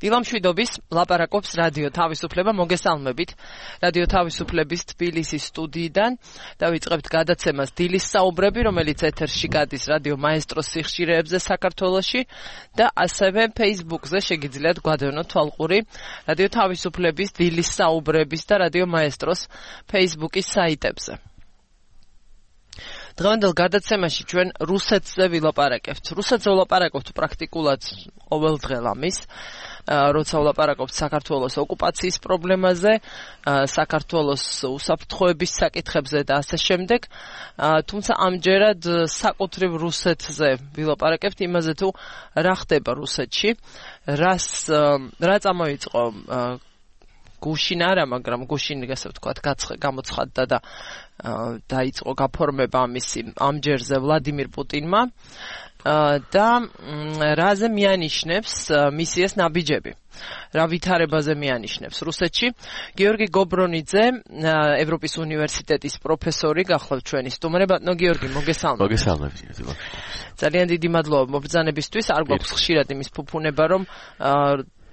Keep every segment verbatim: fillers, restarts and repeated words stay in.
დილამშვიდობის ლაპარაკობს რადიო თავისუფლება, მოგესალმებით. რადიო თავისუფლების თბილისის სტუდიიდან დავიწყებთ გადაცემას დილის საუბრები, რომელიც ეთერში გადის რადიო მაესტროს სიხშირეებზე საქართველოში და ასევე Facebook-ზე შეგიძლიათ გვადევნოთ თვალყური რადიო თავისუფლების დილის საუბრების და რადიო მაესტროს Facebook-ის საიტებზე. დღევანდელ გადაცემაში ჩვენ რუსეთზე ვილაპარაკებთ. რუსეთზე ვილაპარაკებთ პრაქტიკულად ყოველდღიურ, როცა ვილაპარაკებთ საქართველოს ოკუპაციის პრობლემაზე, საქართველოს უსაფრთხოების საკითხებზე და ასე შემდეგ. თუმცა ამჯერად საკუთრივ რუსეთზე ვილაპარაკებთ იმაზე თუ რა ხდება რუსეთში, რას რა წამოიწყო გუშინ არა, მაგრამ გუშინ ასე ვთქვათ, გამოცხადდა და დაიწყო გაფორმება ამისი ამჯერზე ვლადიმირ პუტინმა და რაზე მიანიშნებს მისიას ნაბიჯები. რა ვითარებაზე მიანიშნებს რუსეთში. გიორგი გობრონიძე, ევროპის უნივერსიტეტის პროფესორი, გახლავთ ჩვენი სტუმარი. ბატონო გიორგი, მოგესალმებით. მოგესალმებით. ძალიან დიდი მადლობა მობრძანებისთვის. არ გვაქვს ხშირად იმის ფუფუნება, რომ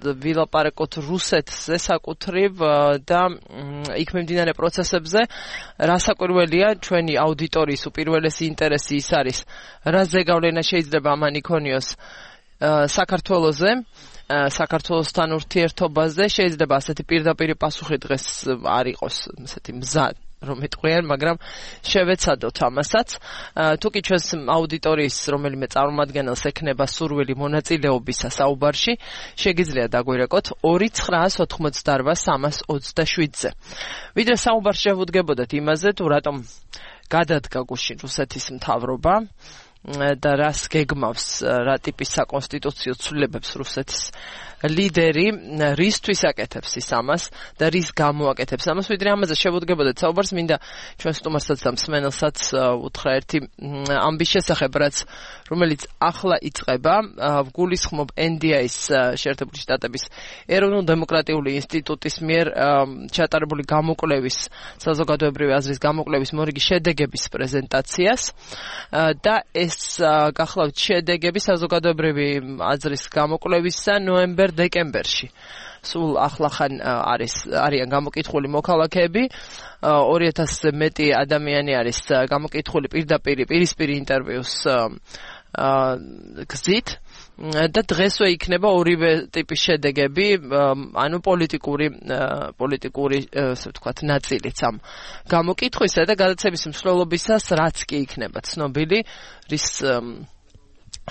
ვილაპარაკოთ რუსეთზე საკუთრივ და იქ მიმდინარე პროცესებზე. რასაკვირველია, ჩვენი აუდიტორიის უპირველესი ინტერესი ის არის, რა ზეგავლენა შეიძლება ამან იქონიოს საქართველოზე, საქართველოსთან ურთიერთობაზე. შეიძლება ასეთი პირდაპირი პასუხი დღეს არ იყოს, ასეთი მზა რომ ეტყვიან, მაგრამ შევეცადოთ ამასაც. თუკი ჩვენს აუდიტორიის რომელიმე წარმომადგენელს ექნება სურვილი მონაწილეობისა საუბარში, შეგიძლიათ დაგვირეკოთ ორი ცხრაას ოთხმოცდაორბა სამას ოცდაშვიდზე. ვიდრე საუბარში შევუდგებოდეთ იმაზე, თუ რატომ გადადგა გუშინ რუსეთის მთავრობა და რას გეგმავს, რა ტიპის საკონსტიტუციო ცვლილებებს რუსეთის ლიდერი, რისთვის აკეთებს ის ამას და რის გამო აკეთებს ამას. ვიდრე ამაზე შევუდგებოდეთ საუბარს, მინდა ჩვენ სტუმარსაც და მსმენელსაც უთხრა ერთი ამბის შესახებ, რაც რომელიც ახლა იწყება. ვგულისხმობ ენ დი აის შეერთებული შტატების ეროვნულ-დემოკრატიული ინსტიტუტის მიერ ჩატარებული გამოკვლევის, საზოგადოებრივი აზრის გამოკვლევის მორიგი შედეგების პრეზენტაციას და ეს გახლავთ შედეგები საზოგადოებრივი აზრის გამოკვლევისა ნოემბერ-დეკემბერში. სულ ახლახან არის არიან გამოკითხული მოქალაქეები, ორი ათასზე მეტი ადამიანი არის გამოკითხული პირდაპირ პირისპირი ინტერვიუს გზით და დღესვე იქნება ორივე ტიპის შედეგები, ანუ პოლიტიკური პოლიტიკური ასე ვთქვათ ნაწილიც ამ გამოკითხვისა და გადაცემის მსვლელობისას რაც კი იქნება ცნობილი, რის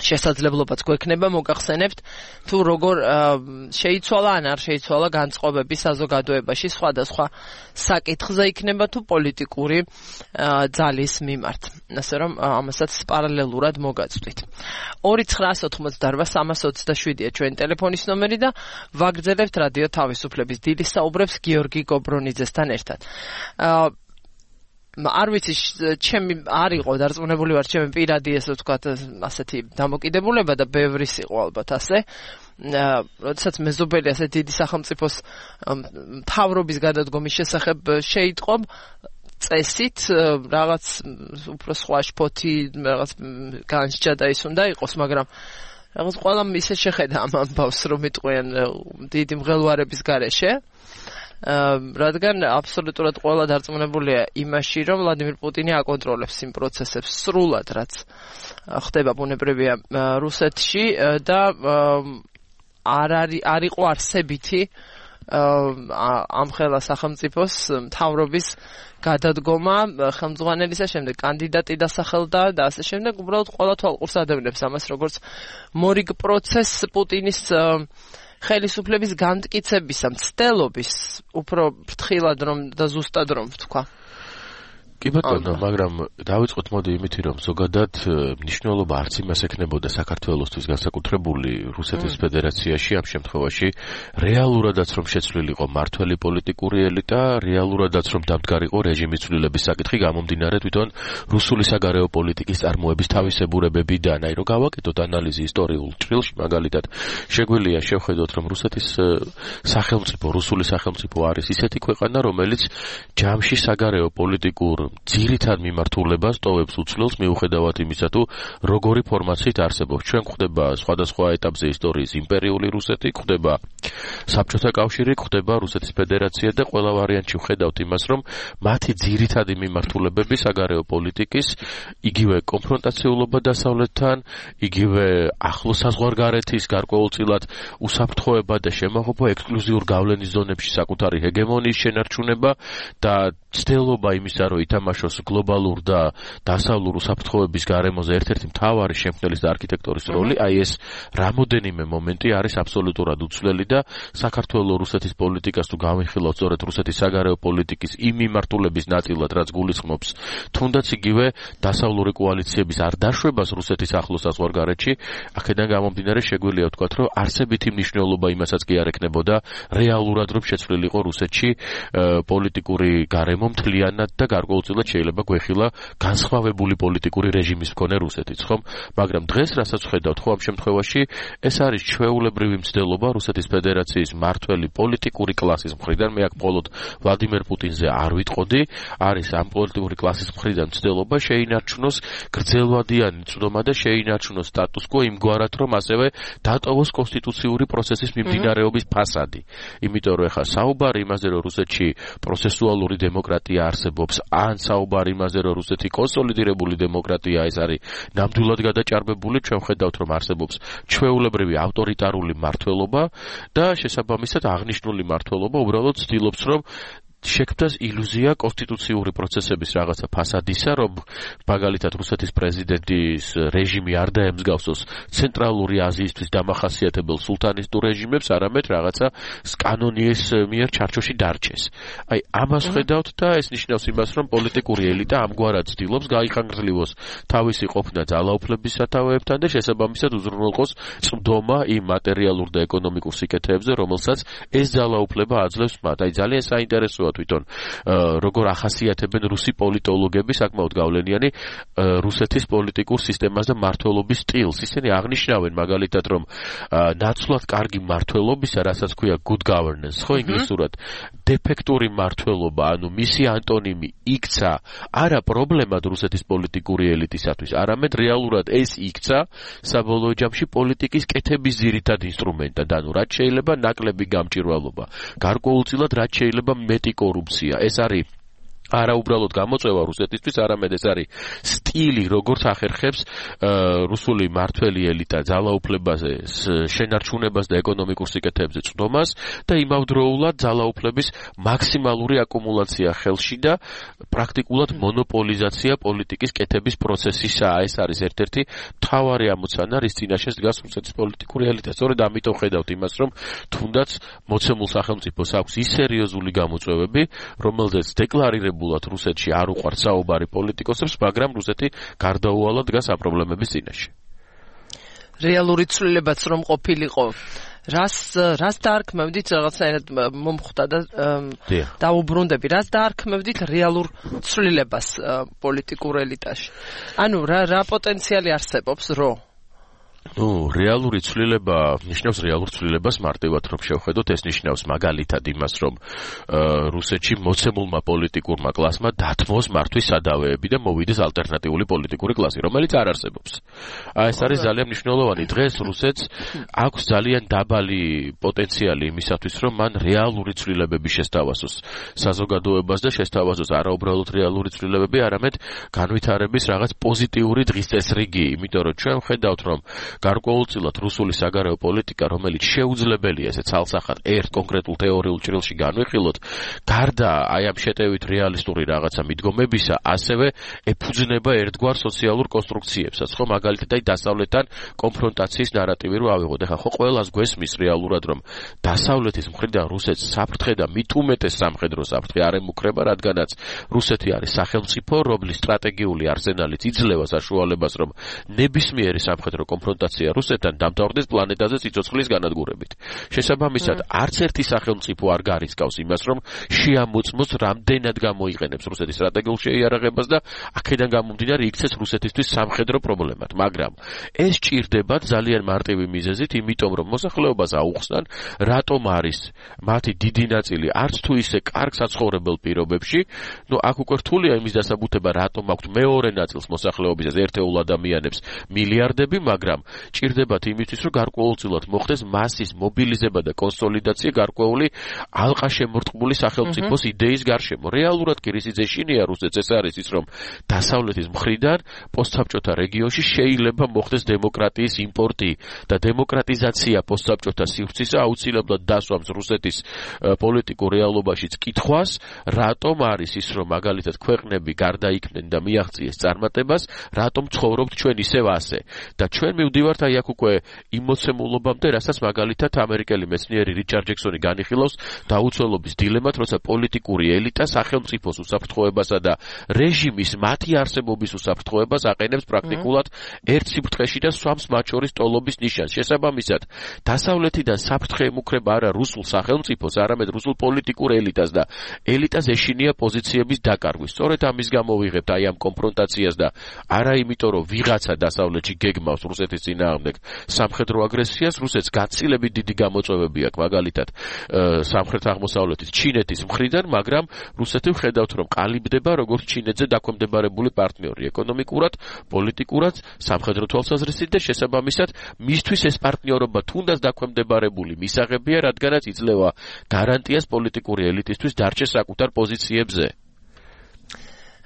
შესაძლებლობაც გვექნება მოგახსენებთ თუ როგორ შეიცვალა ან არ შეიცვალა განწყობები საზოგადოებაში სხვადასხვა საკითხზე იქნება თუ პოლიტიკური ძალის მიმართ. ასე რომ ამასაც პარალელურად მოგაწვდით. ორი ცხრაას ოთხმოცდაორბა სამას ოცდაშვიდია ჩვენი ტელეფონის ნომერი და ვაგრძელებთ რადიო თავისუფლების დილის საუბრებს გიორგი გობრონიძესთან ერთად. არ ვიცი, ჩემი არ იყო დარწმუნებული ვარ, ჩემი პირადი ესე ვთქვათ, ასეთი დამოკიდებულება და ბევრის იყო ალბათ ასე. როდესაც მეზობელი ასე დიდი სახელმწიფოს მთავრობის გადადგომის შესახებ შეიტყობ, წესით რაღაც უფრო სხვა შფოთი, რაღაც განსჯა და ის უნდა იყოს, მაგრამ რაღაც ყველა ისე შეხედა ამ ამბავს, რომ იტყვიან დიდი მღელვარების გარეშე. რადგან აბსოლუტურად ყველა დარწმუნებულია იმაში, რომ ვლადიმირ პუტინი აკონტროლებს იმ პროცესებს სრულად, რაც ხდება ბუნებრივია რუსეთში და არ არის არ იყო არსებითი ამ ხელა სახელმწიფოს მთავრობის გადადგომა ხელმძღვანელისა, შემდეგ კანდიდატი დასახელდა და ასე შემდეგ. უბრალოდ ყველა თვალყურს ადევნებს ამას, როგორც მორიგ პროცესს პუტინის ხელისუფლების განმტკიცებისა, მცდელობის, უფრო ფრთხილად რომ და ზუსტად რომ ვთქვა. კი ბატონო, მაგრამ დავიწყოთ მოდი იმითი, რომ ზოგადად მნიშვნელობა არც იმას ექნებოდა საქართველოსთვის განსაკუთრებული რუსეთის ფედერაციაში ამ შემთხვევაში, რეალურადაც რომ შეცვლილიყო მართველი პოლიტიკური ელიტა, რეალურადაც რომ დამდგარიყო რეჟიმის ცვლილების საკითხი გამომდინარე თვითონ რუსული საგარეო პოლიტიკის წარმოების თავისებურებებიდან. აი რომ გავაკეთოთ ანალიზი ისტორიულ ჭრილში, მაგალითად, შეგვიძლია შევხედოთ, რომ რუსეთის სახელმწიფო, რუსული სახელმწიფო არის ისეთი ქვეყანა, რომელიც ჯამში საგარეო პოლიტიკურ რომ ძირითად მიმართულებას ტოვებს უცვლელს მიუხედავად იმისა თუ როგორი ფორმაციით არსებობს. ჩვენ გვხვდება სხვადასხვა ეტაპზე ისტორიის იმპერიული რუსეთი, გვხვდება საბჭოთა კავშირი, გვხვდება რუსეთის ფედერაცია და ყველა ვარიანტში ვხედავთ იმას, რომ მათი ძირითადი მიმართულებები საგარეო პოლიტიკის, იგივე კონფრონტაციულობა დასავლეთთან, იგივე ახლო საზღვარგარეთის გარკვეულწილად უსაფრთხოება და შემოღობა ექსკლუზიურ გავლენის ზონებში საკუთარი ჰეგემონიის შენარჩუნება და ცდილობა იმისა, რომ ითამაშოს გლობალურ და დასავლურ უსაფრთხოების გარემოზე ერთ-ერთი მთავარი შემქმნელის და არქიტექტორის როლი, აი ეს რამოდენიმე მომენტი არის აბსოლუტურად უცვლელი და საქართველოს რუსეთის პოლიტიკას თუ გავიხილავთ სწორედ რუსეთის საგარეო პოლიტიკის იმ მიმართულების ნაწილად, რაც გულისხმობს თუნდაც იგივე დასავლური კოალიციების არ დაშვებას რუსეთის ახლო საზღვარგარეთში, აქედან გამომდინარე შეგვიძლია ვთქვათ, რომ არსებითი მნიშვნელობა იმასაც კი არ ექნებოდა რეალურად რომ შეცვლილიყო რუსეთში პოლიტიკური გარემო მთლიანად და გარკვეულწილად შეიძლება გვეხილა განსხვავებული პოლიტიკური რეჟიმის მქონე რუსეთიც, ხომ? მაგრამ დღეს რასაც ვხედავთ, ხო ამ შემთხვევაში ეს არის ჩვეულებრივი მცდელობა რუსეთის ფედერაციის მართველი პოლიტიკური კლასის მხრიდან, მე აქ მხოლოდ ვლადიმერ პუტინზე არ ვიტყოდი, არის ამ პოლიტიკური კლასის მხრიდან მცდელობა შეინარჩუნოს გრძელვადიანი წვდომა და შეინარჩუნოს სტატუს კვო იმგვარად, რომ ასევე დატოვოს კონსტიტუციური პროცესის მიმდინარეობის ფასადი. იმიტომ რომ ეხლა საუბარი იმაზე, რომ რუსეთში პროცესუალური დემოკრატია არსებობს, ან საუბარი იმაზე, რომ რუსეთი კონსოლიდირებული დემოკრატია, ეს არის ნამდვილად გადაჭარბებული, ჩვენ ხედავთ, რომ არსებობს ჩვეულებრივი ავტორიტარული მმართველობა და შესაბამისად აღნიშნული მმართველობა უბრალოდ ცდილობს, რომ შექმნას ილუზია კონსტიტუციური პროცესების რაღაცა ფასადისა, რომ მაგალითად რუსეთის პრეზიდენტის რეჟიმი არ დაემსგავსოს ცენტრალური აზიისთვის დამახასიათებელ სულთანისტურ რეჟიმებს, არამედ რაღაცა კანონიის მიერ ჩარჩოში დარჩეს. აი, ამას ხედავთ და ეს ნიშნავს იმას, რომ პოლიტიკური ელიტა ამგვარად ცდილობს გაიხანგრძლივოს თავისი ყოფნა ძალაუფლების სათავეებთან და შესაბამისად უზრუნველყოს წვდომა იმ მატერიალურ და ეკონომიკურ სიკეთეებზე, რომელსაც ეს ძალაუფლება აძლევს მათ. აი, ძალიან საინტერესოა თვითონ როგორ ახასიათებენ რუსი პოლიტოლოგები საკმაოდ გავლენიანი რუსეთის პოლიტიკურ სისტემას და მმართველობის სტილს. ისინი აღნიშნავენ მაგალითად, რომ ნაცვლად კარგი მმართველობისა, რასაც ქვია good governance, ხო ინგლისურად, დეფექტური მმართველობა, ანუ მისი ანტონიმი იქცა არა პრობლემად რუსეთის პოლიტიკური ელიტისათვის, არამედ რეალურად ეს იქცა საბოლოო ჯამში პოლიტიკის კეთების ძირითად ინსტრუმენტად, ანუ რაც შეიძლება ნაკლები გამჭირვალობა, გარკვეულწილად რაც შეიძლება მეტი კორუფცია. ეს არის არა უბრალოდ გამოწვევა რუსეთისთვის, არამედ ეს არის სტილი, როგორც ახერხებს რუსული მმართველი ელიტა ძალაუფლებაზე, შენარჩუნებას და ეკონომიკურ სიკეთეებზე წვდომას და იმავდროულად ძალაუფლების მაქსიმალური აკუმულაცია ხელში და პრაქტიკულად მონოპოლიზაცია პოლიტიკის კეთების პროცესისაა. ეს არის ერთ-ერთი მთავარი ამოცანა, რის წინაშე დგას რუსეთის პოლიტიკური ელიტა. სწორედ ამიტომ ხედავთ იმას, რომ თუნდაც მოცემულ სახელმწიფოს აქვს ის სერიოზული გამოწვევები, რომელზეც დეკლარირებული რუსეთში არ უყვართ საუბარი პოლიტიკოსებს, მაგრამ რუსეთი გარდაუვალად დგას ამ პრობლემების წინაშე. რეალური ცვლილებაც რომ ყოფილიყო, რას რას დაარქმევდით, რაღაცნაირად მომხვდა და დაუბრუნდები, რას დაარქმევდით რეალურ ცვლილებას პოლიტიკურ ელიტაში? ანუ რა რა პოტენციალი არსებობს, რო ნუ რეალური ცვლილება ნიშნავს რეალურ ცვლილებას მარტივად რომ შევხედოთ, ეს ნიშნავს მაგალითად იმას, რომ რუსეთში მოცემულმა პოლიტიკურმა კლასმა დათმოს მართვის სადავეები და მოვიდეს ალტერნატიული პოლიტიკური კლასი, რომელიც არ არსებობს. ეს არის ძალიან მნიშვნელოვანი. დღეს რუსეთს აქვს ძალიან დაბალი პოტენციალი იმისათვის, რომ მან რეალური ცვლილებები შესთავაზოს საზოგადოებას და შესთავაზოს არა უბრალოდ რეალური ცვლილებები, არამედ განვითარების რაღაც პოზიტიური დღის წესრიგი, იმიტომ რომ ჩვენ ხედავთ, რომ გარკვეულწილად რუსული საგარეო პოლიტიკა, რომელიც შეუძლებელია ესე ცალსახად ერთ კონკრეტულ თეორიულ ჭრილში განვიხილოთ, გარდა აი ამ შეტევით რეალისტური რაღაცა მიდგომებისა, ასევე ეფუძნება ერთგვარ სოციალურ კონსტრუქციებსაც, ხო, მაგალითად აი დასავლეთთან კონფრონტაციის ნარატივი რო ავიღოთ. ეხლა ხო ყველას გვესმის რეალურად, რომ დასავლეთის მხრიდან რუსეთს საფრთხე და მით უმეტეს სამხედრო საფრთხე არ ემუქრება, რადგანაც რუსეთი არის სახელმწიფო, რომლის სტრატეგიული არსენალით იძლევა საშუალებას, რომ ნებისმიერი სამხედრო კონფრონტაცია კონფრონტაცია რუსეთთან დამთავრდეს პლანეტაზე სიცოცხლის განადგურებით. შესაბამისად, არც ერთი სახელმწიფო არ გარისკავს იმას, რომ შეამოწმოს რამდენად გამოიყენებს რუსეთის სტრატეგიულ შეიარაღებას და აქედან გამომდინარე იქცეს რუსეთისთვის სამხედრო პრობლემად, მაგრამ ეს ჭირდებათ ძალიან მარტივი მიზეზით, იმიტომ რომ მოსახლეობას აუხსნან, რატომ არის მათი დიდი ნაწილი არც თუ ისე კარგ საცხოვრებელ პირობებში, ნუ აქ უკვე რთულია იმის დასაბუთება, რატომ აქვთ მეორე ნაწილს მოსახლეობისას ერთეულ ადამიანებს მილიარდები, მაგრამ ჭირდებათ იმისთვის, რომ გარკვეულწილად მოხდეს მასის მობილიზება და კონსოლიდაცია გარკვეული ალყაშემორტყმული სახელმწიფოს იდეის გარშემო. რეალურად კი რის ეშინია რუსეთს ეს არის ის, რომ დასავლეთის მხრიდან პოსტსაბჭოთა რეგიონში შეიძლება მოხდეს დემოკრატიის იმპორტი და დემოკრატიზაცია პოსტსაბჭოთა სივრცისა აუცილებლად დასვამს რუსეთის პოლიტიკურ რეალობაშიც კითხვას, რატომ არის ის, რომ მაგალითად ქვეყნები გარდაიქმნენ და მიაღწიეს წარმატებას, რატომ ცხოვრობთ ჩვენ ისევ ასე. და ჩვენ მივდივართ აი აქ უკვე იმ მოცემულობამდე, რასაც მაგალითად ამერიკელი მეცნიერი რიჩარდ ჯექსონი განიხილავს დაუცველობის დილემად, როცა პოლიტიკური ელიტა სახელმწიფოს უსაფრთხოებასა და რეჟიმის მათი არსებობის უსაფრთხოებას აყენებს პრაქტიკულად ერთ სიფრთხეში და swams მათ შორის ტოლობის ნიშანს. შესაბამისად, დასავლეთიდან საფრთხე ემუქრება არა რუსულ სახელმწიფოს, არამედ რუსულ პოლიტიკურ ელიტას და ელიტას ეშინია პოზიციების დაკარგვის. სწორედ ამის გამო ვიღებთ აი ამ კონფრონტაციას და არა იმიტომ, რომ ვიღაცა დასავლეთში გეგმავს რუსეთის წინააღმდეგ სამხედრო აგრესიას, რუსეთს გაცილებით დიდი გამოწვევები აქვს, მაგალითად სამხრეთ აღმოსავლეთის ჩინეთის მხრიდან, მაგრამ რუსეთი ვხედავთ, რომ ყალიბდება როგორც ჩინეთზე დაქვემდებარებული პარტნიორი ეკონომიკურად, პოლიტიკურად, სამხედრო თვალსაზრისით და შესაბამისად მისთვის ეს პარტნიორობა თუნდაც დაქვემდებარებული მისაღებია, რადგანაც იძლევა გარანტიას პოლიტიკური ელიტისთვის დარჩეს საკუთარ პოზიციებზე.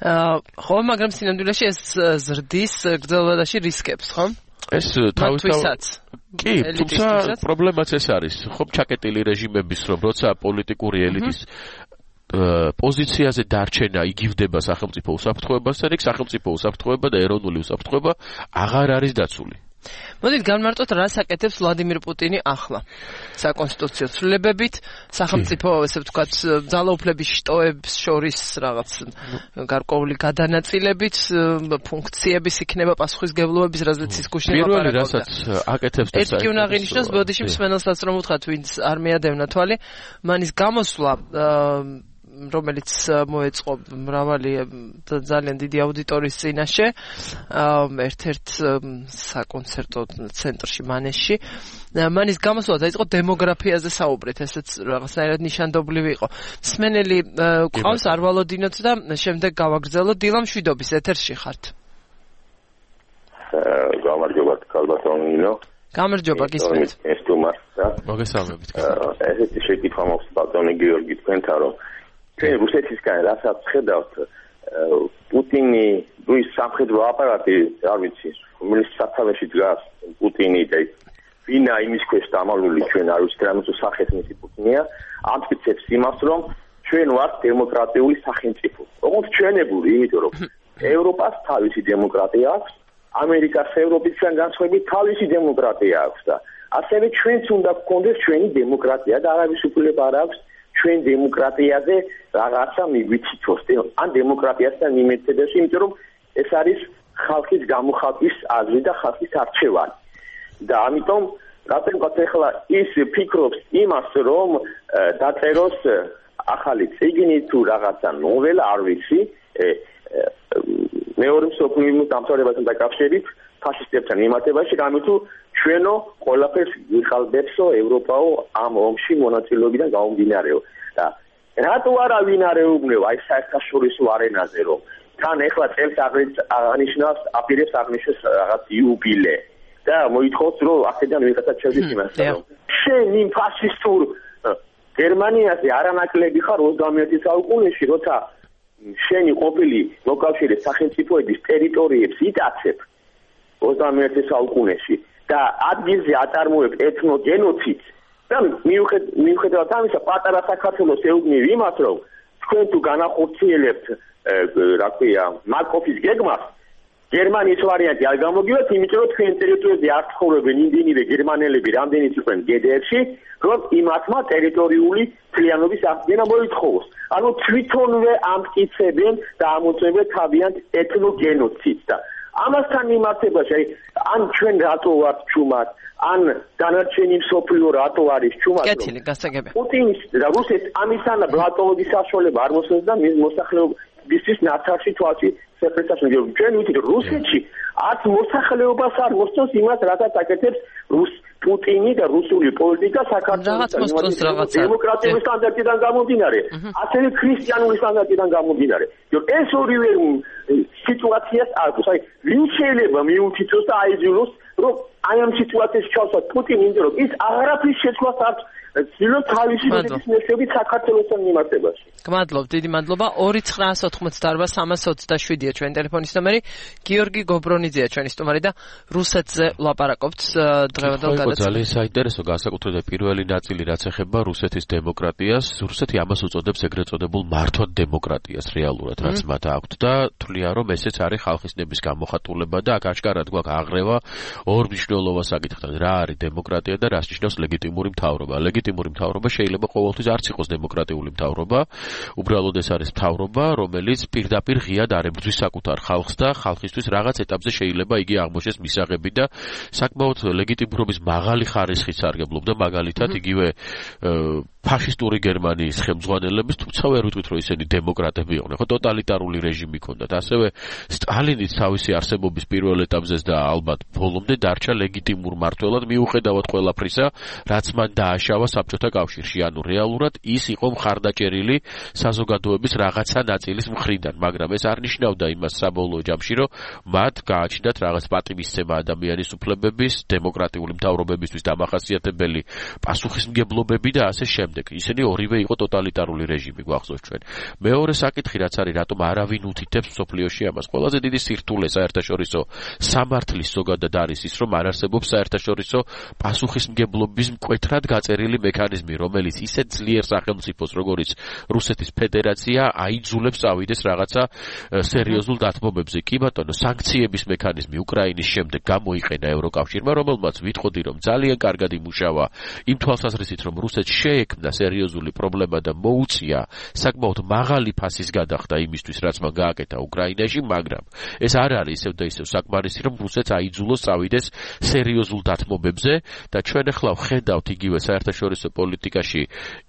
ხო, მაგრამ სინამდვილეში ეს ზრდის გრძელვადაში რისკებს, ხო? ეს თავისთავად კი, თუმცა პრობლემაც ეს არის, ხომ ჩაკეტილი რეჟიმების, რომ როცა პოლიტიკური ელიტის პოზიციაზე დარჩენა იგივდება სახელმწიფო უსაფრთხოებასთან, იქ სახელმწიფო უსაფრთხოება და ეროვნული უსაფრთხოება აღარ არის დაცული. მოდით განმარტოთ, რას აკეთებს ვლადიმირ პუტინი ახლა საკონსტიტუციო ცვლილებებით, სახელმწიფო, ესე ვთქვათ, ძალაუფლების შტოებს შორის რაღაც გარკვეული გადანაწილებით, ფუნქციების იქნება პასუხისგებლობების, რაზეც ის გუშინ ლაპარაკობდა. პირველი, რასაც აკეთებს და ერთი უნდა აღინიშნოს, ბოდიში მსმენელსაც რომ უთხრათ, ვინც არ მიადევნა თვალი, მანის გამოსვლა რომელიც მოეწყო მრავალი ძალიან დიდი აუდიტორიის წინაშე ერთ-ერთ საკონცერტო ცენტრში მანეში მანის გამოსვლა დაიწყო დემოგრაფიაზე საუბრით, ესეც რაღაცნაირად ნიშანდობლივი იყო. მსმენელი ყავს არ ვალოდინოთ და შემდეგ გავაგრძელოთ. დილა მშვიდობის ეთერში ხართ. გამარჯობა ქალბატონინო. გამარჯობა გისმენთ. ეს თუმცა მოგესალმებით. ესეთი შეკითხვა მაქვს ბატონი გიორგი თქვენთან, რომ ჩვენ რუსეთისგან რასაც ხედავთ, პუტინი ის სამხედრო აპარატი, არ ვიცი, რომელიც სათავეში დგას პუტინი და ვინა იმის ქვეშ დამალული ჩვენ არ ვიცით რამე თუ სახეს მისი პუტინია, ამტკიცებს იმას, რომ ჩვენ ვართ დემოკრატიული სახელმწიფო. როგორც ჩვენებული, იმიტომ რომ ევროპას თავისი დემოკრატია აქვს, ამერიკას ევროპისგან განსხვავებით თავისი დემოკრატია აქვს და ასევე ჩვენც უნდა გქონდეს ჩვენი დემოკრატია და არავის უფლება არ აქვს ჩვენ დემოკრატიაზე რაღაცა მიგვიცითოს, ან დემოკრატიასთან მიმეცედაში, იმიტომ რომ ეს არის ხალხის გამოხატვის აზრი და ხალხის არჩევანი. და ამიტომ რატომღაც ახლა ის ფიქრობს იმას, რომ დაწეროს ახალი წიგნი თუ რაღაცა ნოველა, არ ვიცი, მეორე მსოფლიო ომის დამთავრებასთან დაკავშირებით ფაშისტებთან იმართებაში, რამე თუ ჩვენო ყველაფერს ვიხალბებსო ევროპაო ამ ომში მონაწილეობიდან გამომდინარეო. და რატო არა ვინ არ ეუბნება აი საერთაშორისო არენაზე, რომ თან ეხლა წელს აღნიშნავს, აპირებს აღნიშნოს რაღაც იუბილე და მოითხოვს, რომ აქედან ვიღაცა ჩევდეს იმას, რომ შენ იმ ფაშისტურ გერმანიაზე არანაკლები ხარ ოცდამეერთე საუკუნეში, როცა შენი ყოფილი მოკავშირე სახელმწიფოების ტერიტორიებს იტაცებ ოცდამეერთე საუკუნეში და ადგილზე აწარმოებ ეთნოგენოციდს და მიუხედავად ამისა პატარა საქართველოს ეუბნები იმას, რომ თქვენ თუ განახორციელებთ რა ქვია მარკოფის გეგმას, გერმანიის ვარიანტი არ გამოგივათ, იმიტომ რომ თქვენ ტერიტორიაზე არ ცხოვრობენ იმდენივე გერმანელები, რამდენიც იყვნენ გედერში, რომ იმათმა ტერიტორიული მთლიანობის აღდგენა მოითხოვოს. ანუ თვითონვე ამტკიცებენ და ამოწმებენ თავიანთ ეთნოგენოციდს და ამასთან მიმართებაში, აი, ან ჩვენ რატო ვართ ჩუმად, ან დანარჩენი მსოფლიო რატო არის ჩუმად? კეთილი, გასაგებია. პუტინის და რუსეთის ამისანა ბლატოვების საშუალება არ მოსწონს და მის მოსახლეობისთვის ნაცარში თვალში სეპრეტას მიგებ. ჩვენ ვიცით რუსეთში არც მოსახლეობას არ მოსწონს იმას, რასაც აკეთებს რუს პუტინი და რუსული პოლიტიკა საქართველოს დემოკრატიული სტანდარტიდან გამომდინარე, ასევე ქრისტიანული სტანდარტიდან გამომდინარე. ეს ორივე სიტუაციას აქვს. აი, ვინ შეიძლება მიუთითოს და აიძულოს, რომ აი ამ სიტუაციაში ჩავსვათ პუტინი, იმიტომ რომ ის აღარაფრის შეცვლას არ ცდილობს თავისი მეცნიერებით საქართველოსთან მიმართებაში. გმადლობ, დიდი მადლობა. ორი ცხრაას ოთხმოცდაარბა სამას ოცდაშვიდია ჩვენი ტელეფონის ნომერი. გიორგი გობრონიძეა ჩვენი სტუმარი და რუსეთზე ვლაპარაკობთ დღევანდელ გადაცემაში. ძალიან საინტერესო განსაკუთრებით პირველი ნაწილი რაც ეხება რუსეთის დემოკრატიას. რუსეთი ამას უწოდებს ეგრეთ წოდებულ მართვად დემოკრატიას რეალურად, რაც მათ აქვთ და თვლიან რომ ესეც არის ხალხის ნების გამოხატულება და აქ აშკარად გვაქვს აღრევა ორ მნიშვნელოვან საკითხთან. რა არის დემოკრატია და რას ნიშნავს ლეგიტიმური მთავრობა? ლეგიტიმური მთავრობა შეიძლება ყოველთვის არც იყოს დემოკრატიული მთავრობა. უბრალოდ ეს არის მთავრობა, რომელიც პირდაპირ ღიად არ ებრძვის საკუთარ ხალხს და ხალხისთვის რაღაც ეტაპზე შეიძლება იგი აღმოჩნდეს მისაღები და საკმაოდ ლეგიტიმურობის მაღალი ხარისხის სარგებლობდა მაგალითად იგივე ფაშისტური გერმანიის ხელმძღვანელების, თუმცა ვერ ვიტყვით რომ ისინი დემოკრატები იყვნენ, ხო ტოტალიტარული რეჟიმი ჰქონდათ. ასევე სტალინიც თავისი არსებობის პირველ ეტაპზეს და ალბათ ბოლომდე დარჩა ლეგიტიმურ მმართველად მიუხედავად ყველაფრისა, რაც მან დააშავა საბჭოთა კავშირში. ანუ რეალურად ის იყო მხარდაჭერილი საზოგადოების რაღაცა ნაწილის მხრიდან, მაგრამ ეს არ ნიშნავდა იმას საბოლოო ჯამში, რომ მათ გააჩნდათ რაღაც პატივისცემა ადამიანის უფლებების, დემოკრატიული მთავრობებისთვის დამახასიათებელი პასუხისმგებლობები და ასე შემდეგ. ისინი ორივე იყო ტოტალიტარული რეჟიმი, გვახსოვს ჩვენ. მეორე საკითხი რაც არის, რატომ არავინ უთითებს მსოფლიოში ამას? ყველაზე დიდი სირთულე საერთაშორისო სამართლის ზოგადად არის ის, რომ არ არსებობს საერთაშორისო პასუხისმგებლობის მკვეთრად გაწერილი მექანიზმი, რომელიც ისეთ ძლიერ სახელმწიფოს, როგორიც რუსეთის ფედერაცია, აიძულებს წავიდეს რაღაცა სერიოზულ დათმობებზე. კი ბატონო, სანქციების მექანიზმი უკრაინის შემდეგ გამოიყენა ევროკავშირმა, რომელმაც ვიტყოდი, რომ ძალიან კარგად იმუშავა იმ თვალსაზრისით, რომ რუსეთს შეექმნა სერიოზული პრობლემა და მოუწია საკმაოდ მაღალი ფასის გადახდა იმისთვის, რაც მან გააკეთა უკრაინაში, მაგრამ ეს არ არის ისევ და ისევ საკმარისი, რომ რუსეთს აიძულოს წავიდეს სერიოზულ დათმობებზე და ჩვენ ახლა ვხედავთ იგივე საერთაშორისო პოლიტიკაში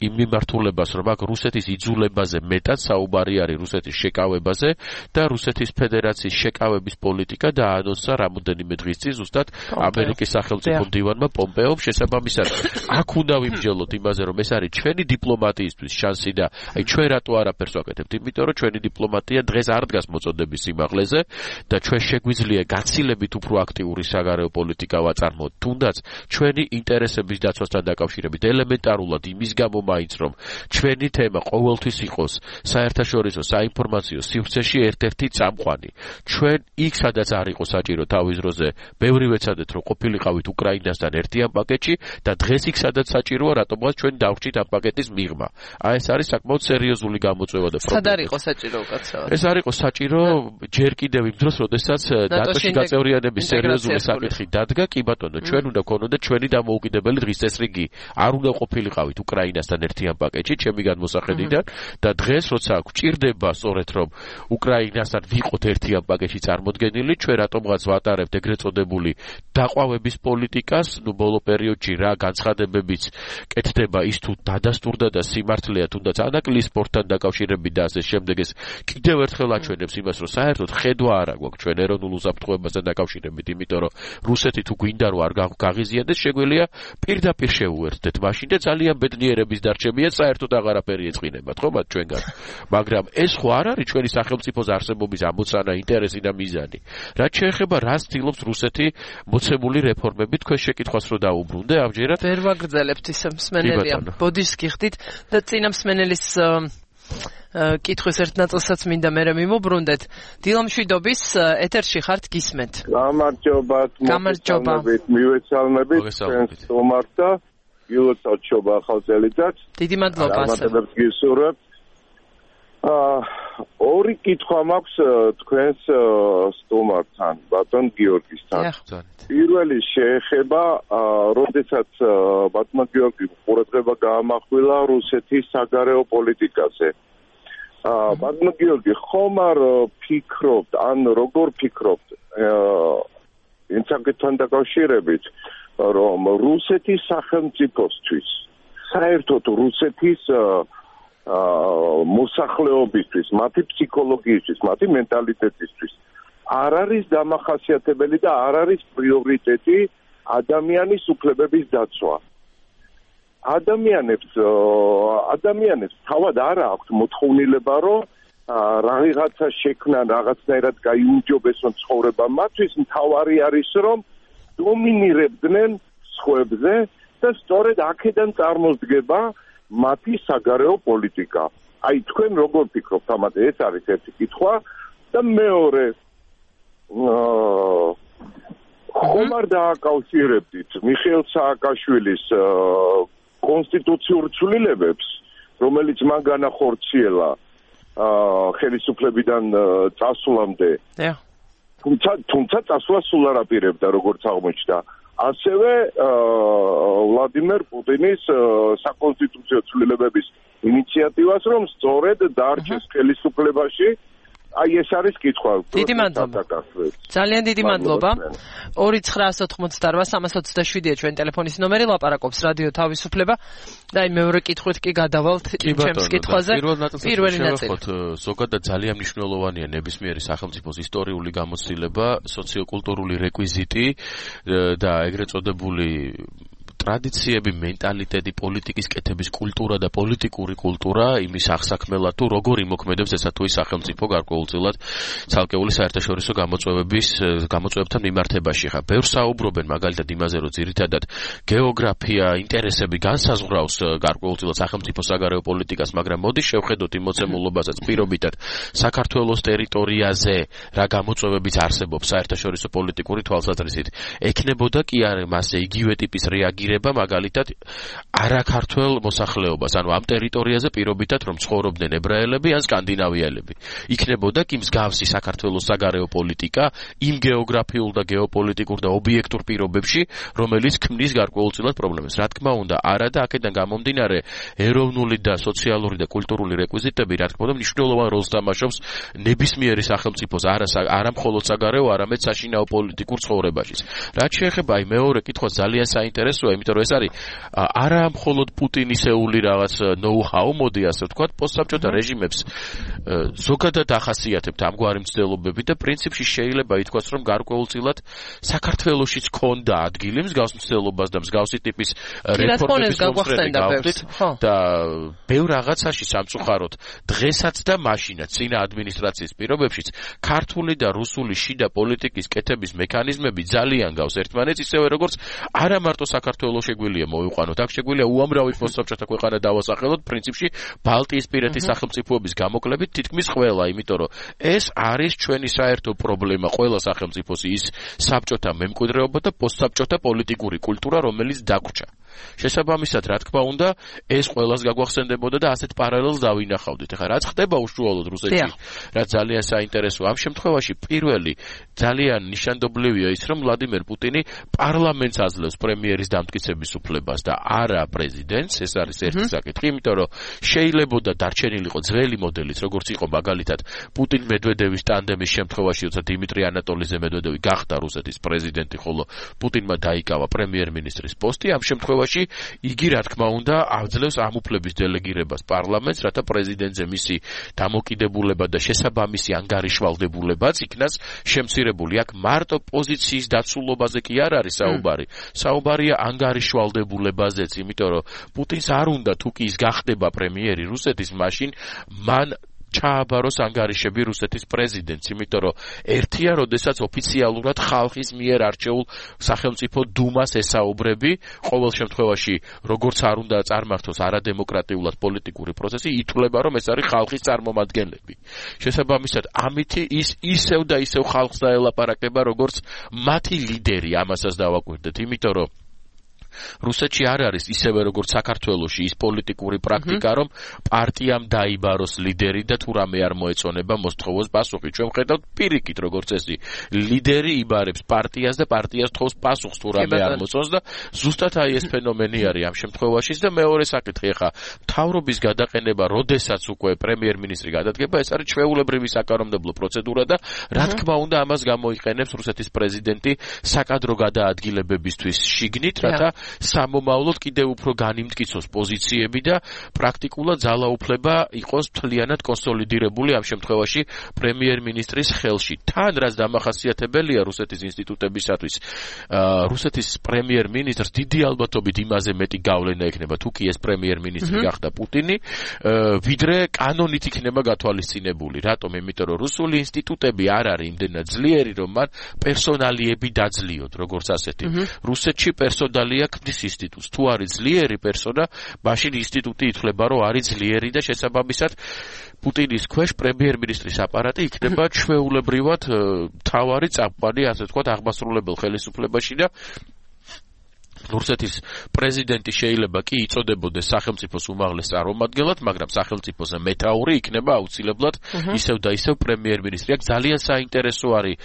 იმ მიმართულებას, რომ აქ რუსეთის იძულებაზე მეტად საუბარი არის რუსეთის შეკავებაზე და რუსეთის ფედერაციის შეკავების პოლიტიკა დაანონსა რამოდენიმე დღის წინ ზუსტად ამერიკის სახელმწიფო მდივანმა პომპეომ. შესაბამისად, აქ უნდა ვიმსჯელოთ იმაზე, რომ ეს არის ჩვენი დიპლომატიისთვის შანსი და აი ჩვენ რატო არაფერს ვაკეთებთ? იმიტომ რომ ჩვენი დიპლომატია დღეს არ დგას მოწოდების სიმაღლეზე და ჩვენ შეგვიძლია გაცილებით უფრო აქტიური საგარეო პოლიტიკა ვაწარმოოთ, თუნდაც ჩვენი ინტერესების დაცვასთან დაკავშირებით ელემენტარულად იმის გამო მაინც რომ ჩვენი თემა ყოველთვის იყოს საერთაშორისო საინფორმაციო სივრცეში ერთ-ერთი წამყვანი. ჩვენ იქ სადაც არ იყო საჭირო თავის დროზე ბევრი ვეცადეთ რომ ყოფილიყავით უკრაინასთან ერთიან პაკეტში და დღეს იქ სადაც საჭიროა რატომღაც ჩვენ დავჭით ამ პაკეტის მიღმა. აი ეს არის საკმაოდ სერიოზული გამოწვევა და პრობლემა. სად არ იყო საჭირო უკაცრავად? ეს არ იყო საჭირო ჯერ კიდევ იმ დროს, როდესაც ნატოში გაწევრიანების სერიოზული საკითხი დადგა, კი ბატონო, ჩვენ უნდა გქონოდა ჩვენი დამოუკიდებელი დღის წესრიგი. არ უნდა ყოფილიყავით უკრაინასთან ერთიან პაკეტში, ჩემი განმოსახედიდან და დღეს როცა გვჭირდება სწორედ რომ უკრაინასთან ვიყოთ ერთიან პაკეტში წარმოდგენილი, ჩვენ რატომღაც ვატარებთ ეგრეთ წოდებული დაყვავების პოლიტიკას, ნუ ბოლო პერიოდში რა განცხადებებიც კეთდება ის თუ დადასტურდა და სიმართლეა თუნდაც ანაკლიის სპორტთან დაკავშირებით და ასე შემდეგ. ეს კიდევ ერთხელ აჩვენებს იმას, რომ საერთოდ ხედვა არ აქვს ჩვენ ეროვნულ უსაფრთხოებასთან დაკავშირებით, იმიტომ რომ რუსეთი თუ გვინდა რომ არ გაღიზიანდეს, შეგვიძლია პირდაპირ შეუერთდეთ მაშინ და ძალიან ბედნიერების დარჩებია, საერთოდ აღარაფერი ეწყინებათ, ხო მათ ჩვენგან. მაგრამ ეს ხო არ არის ჩვენი სახელმწიფოს არსებობის ამოცანა, ინტერესი და მიზანი. რაც შეეხება რას ცდილობს რუსეთი მოცემული რეფორმებით, თქვენ შეკითხვას რო დაუბრუნდე ამჯერად ვერ ვაგრძელებთ ისე მსმენელია. ბოდიშს გიხდით და წინა მსმენელის კითხვის ერთ ნაწილსაც მინდა მე მიმოbrundet. დილამშვიდობის ეთერში ხართ, გისმენთ. გამარჯობათ, მოგესალმებით, მივეცალმებით ჩვენს სტუმარს და გილოცავთ შობა ახალ წელიწადს. დიდი მადლობა. გამარჯობათ, გისურვებთ. აა ორი კითხვა მაქვს თქვენს სტუმართან, ბატონ გიორგისთან. პირველი შეეხება, როდესაც ბატონ გიორგი ყურადღება გაამახვილა რუსეთის საგარეო პოლიტიკაზე. ბატონ გიორგი, ხომ არ ფიქრობთ, ან როგორ ფიქრობთ, ინცაკეთთან დაკავშირებით, რომ რუსეთის სახელმწიფოსთვის, საერთოდ რუსეთის მოსახლეობისთვის, მათი ფსიქოლოგიისთვის, მათი მენტალიტეტისთვის არ არის დამახასიათებელი და არ არის პრიორიტეტი ადამიანის უფლებების დაცვა. ადამიანებს ადამიანებს თავად არ აქვს მოთხოვნილება, რომ რაღაცა შექმნან, რაღაცნაირად გაიუმჯობესონ ცხოვრება. მათთვის მთავარი არის, რომ დომინირებდნენ სხვებზე და სწორედ აქედან წარმოსდგება მათი საგარეო პოლიტიკა. აი თქვენ როგორ ფიქრობთ ამაზე? ეს არის ერთი კითხვა და მეორე ხომ არ დააკავშირებდით მიხეილ სააკაშვილის კონსტიტუციურ ცვლილებებს, რომელიც მან განახორციელა ხელისუფლებიდან წასვლამდე. თუმცა თუმცა წასვლა სულ არ აპირებდა, როგორც აღმოჩნდა. ასევე ვლადიმერ პუტინის საკონსტიტუციო ცვლილებების ინიციატივას, რომ სწორედ დარჩეს ხელისუფლებაში. აი ეს არის კითხვა. დიდი მადლობა. ძალიან დიდი მადლობა. ორი ცხრა ოცდაოთხმოცდაოთხ სამას ოცდაშვიდია ჩვენ ტელეფონის ნომერი, ლაპარაკობს რადიო თავისუფლება და აი მეორე კითხვით კი გადავალთ ჩემს კითხვაზე. პირველი ნაწილი. ზოგადად ძალიან მნიშვნელოვანია ნებისმიერი სახელმწიფოს ისტორიული გამოცდილება, სოციოკულტურული რეკვიზიტი და ეგრეთ წოდებული ტრადიციები, მენტალიტეტი, პოლიტიკის კეთების კულტურა და პოლიტიკური კულტურა იმის აღსაქმელად თუ როგორ იმოქმედებს ესა თუ ის სახელმწიფო გარკვეულწილად ცალკეული საერთაშორისო გამოწვევების გამოწვევებთან მიმართებაში. ხა ბევრს საუბრობენ მაგალითად იმაზე, რომ ძირითადად გეოგრაფია, ინტერესები განსაზღვრავს გარკვეულწილად სახელმწიფო საგარეო პოლიტიკას, მაგრამ მოდით შევხედოთ იმ მოცემულობასაც პირობითად საქართველოს ტერიტორიაზე რა გამოწვევებიც არსებობს საერთაშორისო პოლიტიკური თვალსაზრისით. ექნებოდა კი არა მასე იგივე ტიპის რეაგირება მაგალითად არაქართველ მოსახლეობას, ანუ ამ ტერიტორიაზე პირობითად რომ ცხოვრობდნენ ებრაელები ან სკანდინავიელები. იქნებოდა კი მსგავსი საქართველოს საგარეო პოლიტიკა იმ გეოგრაფიულ და გეოპოლიტიკურ და ობიექტურ პირობებში, რომელიც ქმნის გარკვეულწილად პრობლემებს. რა თქმა უნდა, არა და აქედან გამომდინარე ეროვნული და სოციალური და კულტურული რეკვიზიტები, რა თქმა უნდა, მნიშვნელოვან როლს თამაშობს ნებისმიერი სახელმწიფოს არა არა მხოლოდ საგარეო, არამედ საშინაო პოლიტიკურ ცხოვრებაში. რაც შეეხება აი მეორე კითხვა ძალიან საინტერესოა, იმიტომ რომ ეს არის არა მხოლოდ პუტინისეული რაღაც ნოუ-ჰაუ, მოდი ასე ვთქვათ, პოსტსაბჭოთა რეჟიმებს ზოგადად ახასიათებთ ამგვარი მცდელობები და პრინციპში შეიძლება ითქვას, რომ გარკვეულწილად საქართველოშიც ქონდა ადგილი მსგავს მცდელობას და მსგავსი ტიპის რეფორმების გაგახსენდით და ბევრ რაღაცაში სამწუხაროდ დღესაც და მაშინაც წინა ადმინისტრაციის პირობებშიც ქართული და რუსული შიდა პოლიტიკის კეთების მექანიზმები ძალიან გავს ერთმანეთს, ისევე როგორც არა მარტო საქართველოს შეგვიძლია მოიყვანოთ, აქ შეგვიძლია უამრავი პოსტსაბჭოთა ქვეყანა დავასახელოთ, პრინციპში ბალტიისპირეთის სახელმწიფოების გამოკლებით თითქმის ყველა, იმიტომ რომ ეს არის ჩვენი საერთო პრობლემა ყველა სახელმწიფოს ის საბჭოთა მემკვიდრეობა და პოსტსაბჭოთა პოლიტიკური კულტურა, რომელიც დაგვრჩა. შესაბამისად, რა თქმა უნდა, ეს ყველას გაგვახსენდებოდა და ასეთ პარალელს დავინახავდით. ეხლა რაც ხდება უშუალოდ რუსეთში, რაც ძალიან საინტერესოა. ამ შემთხვევაში პირველი ძალიან ნიშანდობლივია ის, რომ ვლადიმერ პუტინი პარლამენტს აძლევს პრემიერის დამტკიცების უფლებას და არა პრეზიდენტს. ეს არის ერთი საკითხი, იმიტომ რომ შეიძლებოდა დარჩენილიყო ძველი მოდელიც, როგორც იყო მაგალითად პუტინ-მედვედევის ტანდემის შემთხვევაში, როცა დიმიტრი ანატოლიძე მედვედევი გახდა რუსეთის პრეზიდენტი, ხოლო პუტინმა დაიკავა პრემიერ-მინისტრის პოსტი. ამ შემთხვევაში იგი რა თქმა უნდა აძლევს ამ უფლების დელეგირებას პარლამენტს, რათა პრეზიდენტზე მისი დამოკიდებულება და შესაბამისი ანგარიშვალდებულებაც იქნას შემცირებული. აქ მარტო პოზიციის დაცულობაზე კი არ არის საუბარი. საუბარია ანგარიშვალდებულებაზეც, იმიტომ რომ პუტინს არ უნდა თუ კი ის გახდება პრემიერი რუსეთის, მაშინ მან ჩააბაროს ანგარიშები რუსეთის პრეზიდენტს, იმიტომ რომ ერთია, როდესაც ოფიციალურად ხალხის მიერ არჩეულ სახელმწიფო დუმას ესაუბრები, ყოველ შემთხვევაში, როგორც არ უნდა წარმართოს არადემოკრატიულად პოლიტიკური პროცესი, ითვლება, რომ ეს არის ხალხის წარმომადგენლები. შესაბამისად, ამითი ის ისევ და ისევ ხალხს დაელაპარაკება, როგორც მათი ლიდერი, ამასაც დავაკვირდეთ, იმიტომ რომ რუსეთში არ არის ისევე როგორც საქართველოში ის პოლიტიკური პრაქტიკა, რომ პარტიამ დაიბაროს ლიდერი და თუ რამე არ მოეწონება მოსთხოვოს პასუხი. ჩვენ ვხედავთ პირიქით როგორც წესი, ლიდერი იბარებს პარტიას და პარტიას თხოვს პასუხს თუ რამე არ მოწონს და ზუსტად აი ეს ფენომენი არის ამ შემთხვევაში და მეორე საკითხი ახლა მთავრობის გადაყენება, როდესაც უკვე პრემიერ-მინისტრი გადადგება, ეს არის ჩვეულებრივი საკანონმდებლო პროცედურა და რა თქმა უნდა ამას გამოიყენებს რუსეთის პრეზიდენტი საკადრო გადაადგილებებისთვის შიგნით, რათა სამომავლოდ კიდევ უფრო განიმტკიცოს პოზიციები და პრაქტიკულად ძალაუფლება იყოს მთლიანად კონსოლიდირებული ამ შემთხვევაში პრემიერ-მინისტრის ხელში. თან რაც დამახასიათებელია რუსეთის ინსტიტუტებისათვის, რუსეთის პრემიერ-მინისტრს დიდი ალბათობით იმაზე მეტი გავლენა ექნება თუ კი ეს პრემიერ-მინისტრი გახდა პუტინი, ვიდრე კანონით იქნება გათვალისწინებული. რატომ? იმიტომ რომ რუსული ინსტიტუტები არ არის იმდენად ძლიერი, რომ მან პერსონალიები დაძლიოთ, როგორც ასეთი. რუსეთში პერსონალია ქმნის ინსტიტუტს. თუ არის ძლიერი პერსონა, მაშინ ინსტიტუტი ითვლება, რომ არის ძლიერი და შესაბამისად პუტინის ქვეშ პრემიერ-მინისტრის აპარატი იქნება ჩვეულებრივად მთავარი წამყვანი, ასე ვთქვათ, აღმასრულებელ ხელისუფლებაში და რუსეთის პრეზიდენტი შეიძლება კი იწოდებოდეს სახელმწიფოს უმაღლეს წარმომადგენლად, მაგრამ სახელმწიფოზე მეთაური იქნება აუცილებლად ისევ და ისევ პრემიერ-მინისტრი. აქ ძალიან საინტერესო არის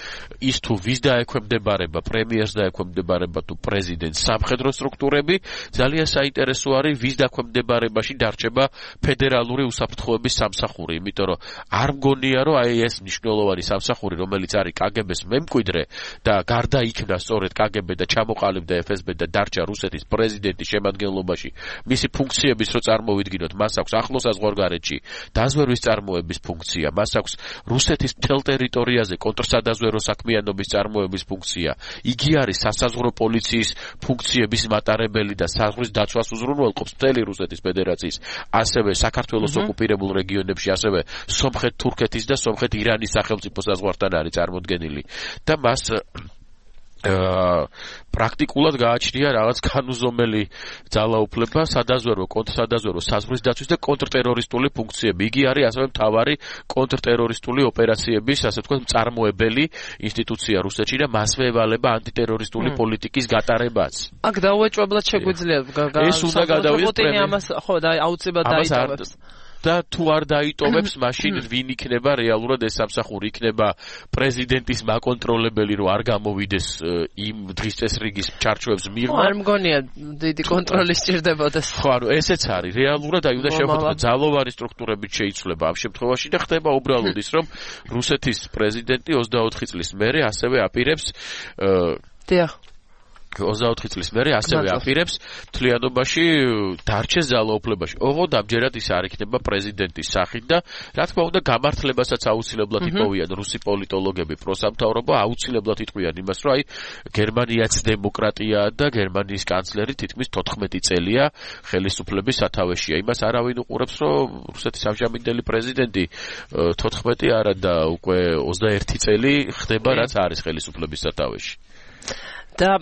ის თუ ვის დაექვემდებარება, პრემიერს დაექვემდებარება თუ პრეზიდენტს სამხედრო სტრუქტურები, ძალიან საინტერესო არის ვის დაქვემდებარებაში დარჩება ფედერალური უსაფრთხოების სამსახური, იმიტომ რომ არ მგონია რომ აი ეს მნიშვნელოვანი სამსახური, რომელიც არის კაგებეს მემკვიდრე და გარდა იქნა სწორედ კაგები და ჩამოყალიბდა ეფ ეს ბე და რუსეთის პრეზიდენტის შემადგენლობაში მისი ფუნქციების რო წარმოვიდგინოთ, მას აქვს ახლო საზღვარგარეთში დაზვერვის წარმოების ფუნქცია, მას აქვს რუსეთის მთელ ტერიტორიაზე კონტრსადაზვერო საქმიანობის წარმოების ფუნქცია. იგი არის სასაზღვრო პოლიციის ფუნქციების მატარებელი და საზღვრის დაცვას უზრუნველყოფს მთელი რუსეთის ფედერაციის, ასევე საქართველოს ოკუპირებულ რეგიონებში, ასევე სომხეთ-თურქეთის და სომხეთ-ირანის სახელმწიფო საზღვართან არის წარმოდგენილი და მას პრაქტიკულად გააჩნია რაღაც განუზომელი ძალაუფლება, სადაზვერო, კონტრსადაზვერო, საზღვრის დაცვის და კონტრტერორისტული ფუნქციები. იგი არის ასევე მთავარი კონტრტერორისტული ოპერაციების, ასე ვთქვათ, მწარმოებელი ინსტიტუცია რუსეთში და მასვე ევალება ანტიტერორისტული პოლიტიკის გატარებაც. აქ დაუეჭვებლად შეგვიძლია ეს უნდა გადავიდეს პრემიერ ამას ხო და აუცილებლად დაიტოვებს. და თუ არ დაიტოვებს, მაშინ ვინ იქნება რეალურად ეს სამსახური? იქნება პრეზიდენტის მაკონტროლებელი, რომ არ გამოვიდეს იმ დღის წესრიგის ჩარჩოებს მიღმა. არ მგონია დიდი კონტროლი სჭირდებოდეს. ხო, ანუ ესეც არის. რეალურად აი უნდა შევხვდეთ, ძალოვანი სტრუქტურებით შეიცვლება ამ შემთხვევაში და ხდება უბრალოდ ის, რომ რუსეთის პრეზიდენტი ოცდაოთხი წლის მერე ასევე აპირებს დიახ ოცდაოთხი წლის მერე ასევე აპირებს თლიანობაში დარჩეს ძალაუფლებაში. ოღონდ ამჯერად ის არ იქნება პრეზიდენტის სახით და რა თქმა უნდა გამართლებასაც აუცილებლად იპოვიან რუსი პოლიტოლოგები, პროსამთავრობო აუცილებლად იტყვიან იმას, რომ აი გერმანიაც დემოკრატიაა და გერმანიის კანცლერი თითქმის თოთხმეტი წელია ხელისუფლების სათავეშია. იმას არავინ უყურებს, რომ რუსეთის ამჟამინდელი პრეზიდენტი თოთხმეტი არა და უკვე ოცდაერთი წელი ხდება, რაც არის ხელისუფლების სათავეში. და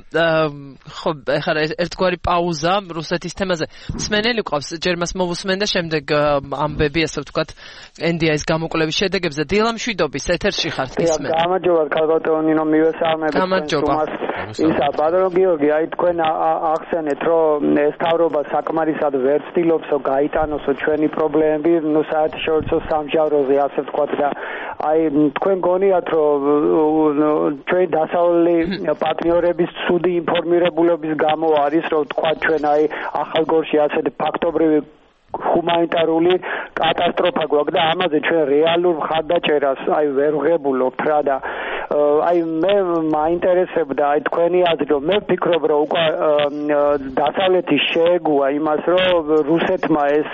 ხო ახლა ერთგვარი პაუზა რუსეთის თემაზე. მსმენელი ყავს, ჯერ მას მოვუსმენ და შემდეგ ამბები, ასე ვთქვათ, ენ დი აის გამოკვლევის შედეგებზე. დილა მშვიდობის ეთერში ხართ ისმენ. გამარჯობა, ქალბატონინო, მივესალმებით. გამარჯობა. ისა ბადრო გიორგი, აი თქვენ ახსენეთ, რომ ეს თავრობა საკმარისად ვერ ცდილობს გაიტანოსო ჩვენი პრობლემები, ნუ საერთაშორისო სამჟავროზე, ასე ვთქვათ და აი თქვენ გონიათ, რომ ჩვენი დასავლელი პარტნიორების ცუდი ინფორმირებულობის გამო არის, რომ თქვა ჩვენ აი ახალგორში ასეთი ფაქტობრივი ჰუმანიტარული კატასტროფა გვაქვს და ამაზე ჩვენ რეალურ მხარდაჭერას აი ვერ ვღებულობთ რა და აი მე მაინტერესებდა აი თქვენი აზრი, რომ მე ვფიქრობ, რომ უკვე დასავლეთი შეეგუა იმას, რომ რუსეთმა ეს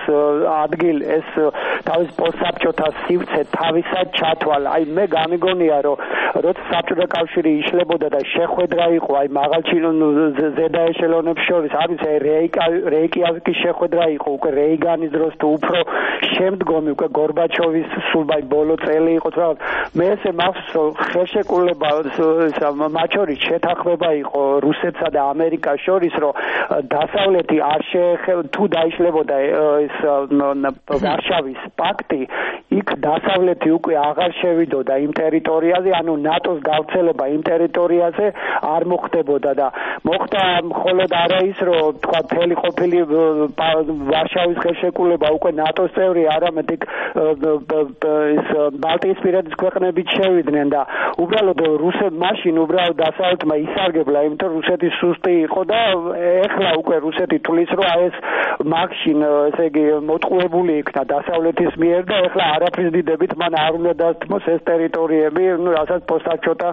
ადგილ ეს თავის პოსტსაბჭოთა სივრცე თავისად ჩათვალა. აი მე გამიგონია, რომ როცა საბჭოთა კავშირი იშლებოდა და შეხვედრა იყო აი მაღალჩინო ზედა ეშელონებს შორის, არის აი რეიკიავიკის შეხვედრა იყო უკვე რეიგანის დროს თუ უფრო შემდგომი უკვე გორბაჩოვის სულ აი ბოლო წელი იყო რა. მე ესე მახსოვს, რომ ხელშეკრულება მათ შორის შეთანხმება იყო რუსეთსა და ამერიკას შორის, რომ დასავლეთი არ შეეხება თუ დაიშლებოდა ეს ვარშავის პაქტი, იქ დასავლეთი უკვე აღარ შევიდოდა იმ ტერიტორიაზე, ანუ ნატოს გავრცელება იმ ტერიტორიაზე არ მოხდებოდა და მოხდა მხოლოდ არა ის რომ თქვა მთელი ყოფილი ვარშავის ხელშეკრულება უკვე ნატოს წევრი არამედ იქ ის ბალტიისპირეთის ქვეყნებიც შევიდნენ და უბრალოდ რუსეთ მაშინ უბრალოდ დასავლეთმა ისარგებლა იმიტომ რუსეთი სუსტი იყო და ეხლა უკვე რუსეთი თulis რომ აი ეს მაშინ ესე იგი მოტყუებული იქნა დასავლეთის მიერ და ეხლა არაფრის დიდებით მან არ უნდა დასთმოს ეს ტერიტორიები ну რასაც პოსტაჩოტა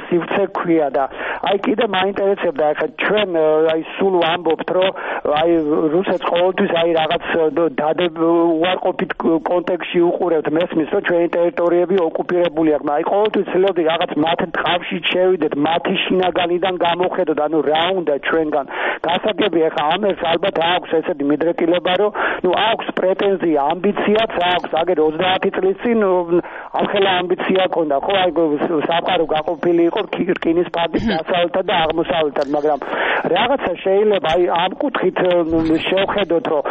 სივრცე ქვია და აი კიდე მაინტერესებდა ახლა ჩვენ აი სულ ვამბობთ რომ აი რუსეთს ყოველთვის აი რაღაც დადებ უარყოფით კონტექსტში უყურებთ მესმის რომ ჩვენი ტერიტორიები ოკუპირებული აქვს აი ყოველთვის ცდილობდი რაღაც მათ ტყავში შევიდეთ მათი შინაგანიდან გამოხედოთ ანუ რა უნდა ჩვენგან გასაგები ახლა ამერს ალბათ აქვს ესეთი მიდრეკილება რომ ну აქვს პრეტენზია ამბიციაც აქვს აგერ ოცდაათი წლის წინ ახლა ამბიცია ქონდა ხო აი სამყარო გაყოფილი იყო რკინის ფარდით დასავლეთად და აღმოსავლეთად მაგრამ რაღაცა შეიძლება აი ამ კუთხით შევხედოთ რომ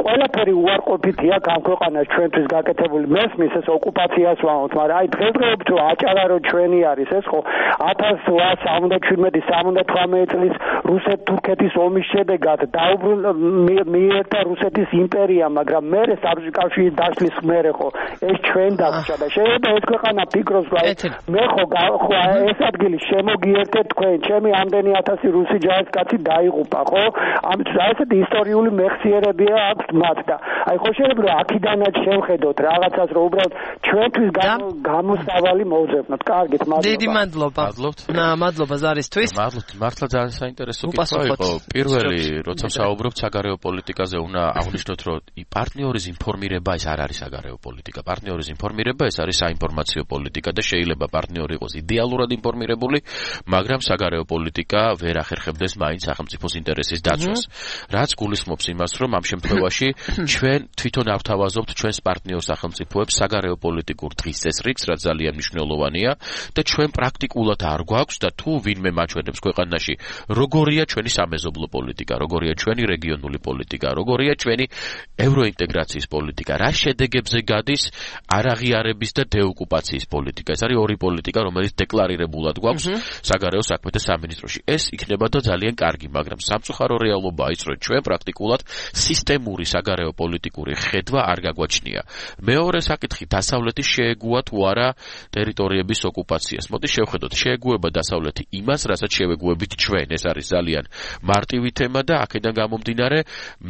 ყველაფერი უარყოფითია ამ ქვეყანას ჩვენთვის გაკეთებული მესმის ეს ოკუპაციას ვამბობთ მაგრამ აი დღესდღეობით რომ აჭარა რომ ჩვენი არის ეს ხო ათას სამოცდაშვიდმეტი სამოცდათვრამეტი წლის რუსეთ-თურქეთის ომის შედეგად დაუბრუნდა მიერთა რუსეთის იმპერია მაგრამ მერე საბჭოთა კავშირის დაშლის მერე ხო ეს ჩვენ დაგჭა და შეიძლება ეს ქვეყანა ფიქრობს რომ მე ხო ხო ეს ადგილი შემოგიერთეთ თქვენ ჩემი ამდენი ათასი რუსი ჯარისკაცი დაიღუპა ხო ამიტომ ესეთი ისტორიული მეხსიერებია აქვს მათ და აი ხო შეიძლება რომ აქიდანაც შევხედოთ რაღაცას რომ უბრალოდ ჩვენთვის გამოსავალი მოვძებნოთ კარგით მადლობა დიდი მადლობა ნა მადლობა ზარისთვის მადლობთ მართლა ძალიან საინტერესო კითხვა იყო პირველი როცა საუბრობთ საგარეო პოლიტიკაზე უნდა აღნიშნოთ რომ პარტნიორის ინფორმირება ეს არ არის საგარეო პოლიტიკა პარტნიორის ინფორმირება ეს არის საინფორმაციო პოლიტიკა და შეიძლება პარტნიორი იყოს იდეალურად ინფორმირებული მაგრამ საგარეო პოლიტიკა ვერ ახერხებდეს მაინც სახელმწიფოს ინტერესის დაცვას რაც გულისხმობს იმას რომ ამ შემთხვევაში ჩვენ თვითონ ავთავაზობთ ჩვენს პარტნიორ სახელმწიფოებს საგარეო პოლიტიკურ დღის წესრიგს რაც ძალიან მნიშვნელოვანია და ჩვენ პრაქტიკულად არ გვაქვს და თუ ვინმე მაჩვენებს ქვეყანაში როგორია ჩვენი სამეზობლო პოლიტიკა როგორია ჩვენი რეგიონული პოლიტიკა როგორია ჩვენი ევროინტეგრაციის პოლიტიკა რა შედეგებზე გადის არაღიარების და დეოკუპაციის პოლიტიკა ეს არის ორი პოლიტიკა რომელიც დეკლარირებულად გვაქვს საგარეო საქმეთა სამინისტროში ეს იქნება და ძალიან კარგი მაგრამ სამწუხარო რეალობაა ის რომ ჩვენ პრაქტიკულად სისტემური საგარეო პოლიტიკური ხედვა არ გაგვაჩნია მეორე საკითხი დასავლეთი შეეგუა თუ არა ტერიტორიების ოკუპაციას მოდი შევხედოთ შეეგუება დასავლეთი იმას რასაც შევეგუებით ჩვენ ეს არის ძალიან მარტივი თემა და აქედან გამომდინარე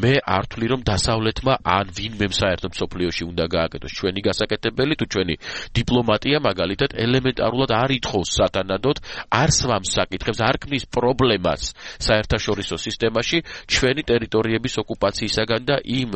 მე არ ვთვლი რომ დასავლეთმა ან ვინმე საერთოდ სოფლიოში უნდა გააკეთოს ჩვენი გასაკეთებელი თუ ჩვენი დიპლომატია მაგალითად ელემენტარულად არ ითხოვს სათანადოდ არ სვამს საკითხებს არ ქმნის პრობლემას საერთაშორისო სისტემაში ჩვენი ტერიტორიების ოკუპაციისაგან და იმ